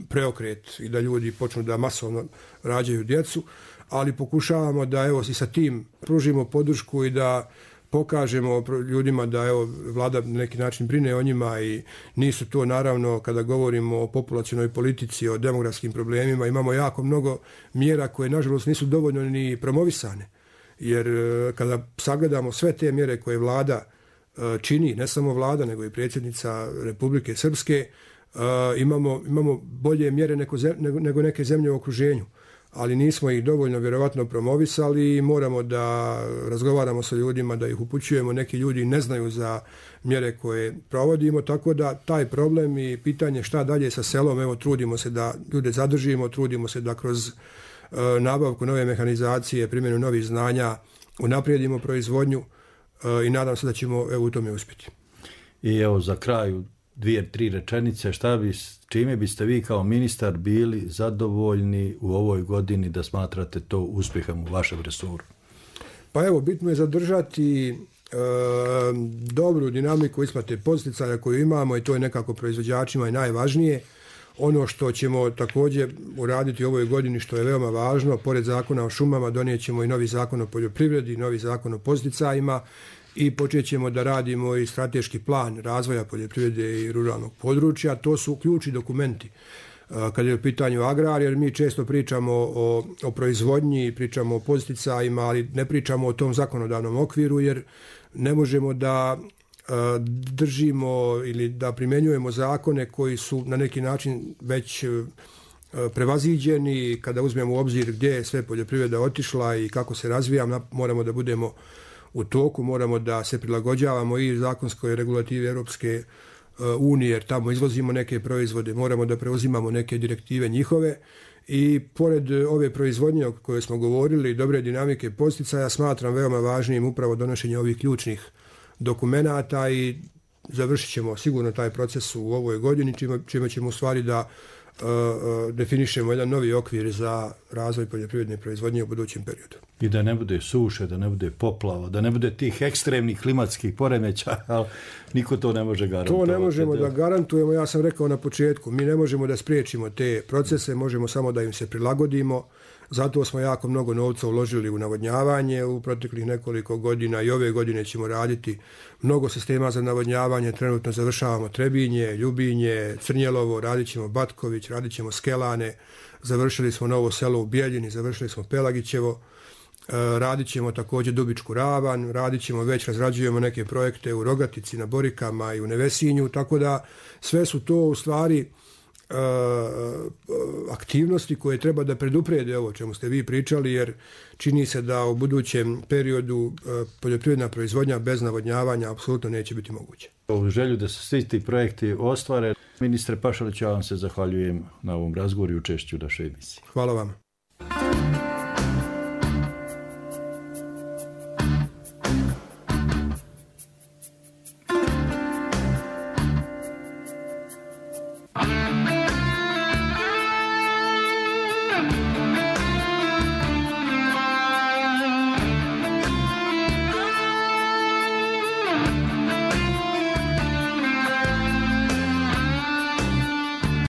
preokret i da ljudi počnu da masovno rađaju djecu, ali pokušavamo da evo i sa tim pružimo podršku i da pokažemo ljudima da evo, vlada na neki način brine o njima i nisu to naravno kada govorimo o populacionoj politici, o demografskim problemima, imamo jako mnogo mjera koje nažalost nisu dovoljno ni promovisane. Jer kada sagledamo sve te mjere koje vlada čini, ne samo vlada nego i predsjednica Republike Srpske, imamo bolje mjere nego neke zemlje u okruženju. Ali nismo ih dovoljno vjerovatno promovisali i moramo da razgovaramo sa ljudima, da ih upućujemo. Neki ljudi ne znaju za mjere koje provodimo, tako da taj problem i pitanje šta dalje sa selom, evo trudimo se da ljude zadržimo, trudimo se da kroz nabavku nove mehanizacije, primjenu novih znanja unaprijedimo proizvodnju i nadam se da ćemo u tome uspjeti. I evo za kraju 2-3 rečenice, čime biste vi kao ministar bili zadovoljni u ovoj godini da smatrate to uspjehom u vašem resoru? Pa evo, bitno je zadržati dobru dinamiku isplate podsticaja koju imamo i to je nekako proizvođačima i najvažnije. Ono što ćemo također uraditi u ovoj godini, što je veoma važno, pored zakona o šumama, donijet ćemo i novi zakon o poljoprivredi, novi zakon o podsticajima i počet ćemo da radimo i strateški plan razvoja poljoprivrede i ruralnog područja. To su ključni dokumenti kad je u pitanju agrar, jer mi često pričamo o proizvodnji, pričamo o podsticajima, ali ne pričamo o tom zakonodavnom okviru, jer ne možemo da držimo ili da primjenjujemo zakone koji su na neki način već prevaziđeni. Kada uzmemo u obzir gdje je sve poljoprivreda otišla i kako se razvija, moramo da budemo u toku, moramo da se prilagođavamo i zakonskoj regulativi Europske unije, jer tamo izvozimo neke proizvode, moramo da preuzimamo neke direktive njihove i pored ove proizvodnje o kojoj smo govorili, dobre dinamike podsticaja, smatram veoma važnim upravo donošenje ovih ključnih dokumenata i završit ćemo sigurno taj proces u ovoj godini, čime ćemo u stvari da definišemo jedan novi okvir za razvoj poljoprivredne proizvodnje u budućem periodu. I da ne bude suše, da ne bude poplava, da ne bude tih ekstremnih klimatskih poremećaja, ali niko to ne može garantovati. To ne možemo da garantujemo, ja sam rekao na početku, mi ne možemo da spriječimo te procese, možemo samo da im se prilagodimo. Zato smo jako mnogo novca uložili u navodnjavanje u proteklih nekoliko godina i ove godine ćemo raditi mnogo sistema za navodnjavanje. Trenutno završavamo Trebinje, Ljubinje, Crnjelovo, radit ćemo Batković, radit ćemo Skelane, završili smo Novo selo u Bijeljini, završili smo Pelagićevo, radit ćemo također Dubičku ravan, radit ćemo, već razrađujemo neke projekte u Rogatici, na Borikama i u Nevesinju, tako da sve su to u stvari aktivnosti koje treba da preduprede ovo čemu ste vi pričali, jer čini se da u budućem periodu poljoprivredna proizvodnja bez navodnjavanja apsolutno neće biti moguće. U želju da se svi ti projekti ostvare, ministre Pašalić, ja vam se zahvaljujem na ovom razgovoru i učešću u našoj emisiji. Hvala vam.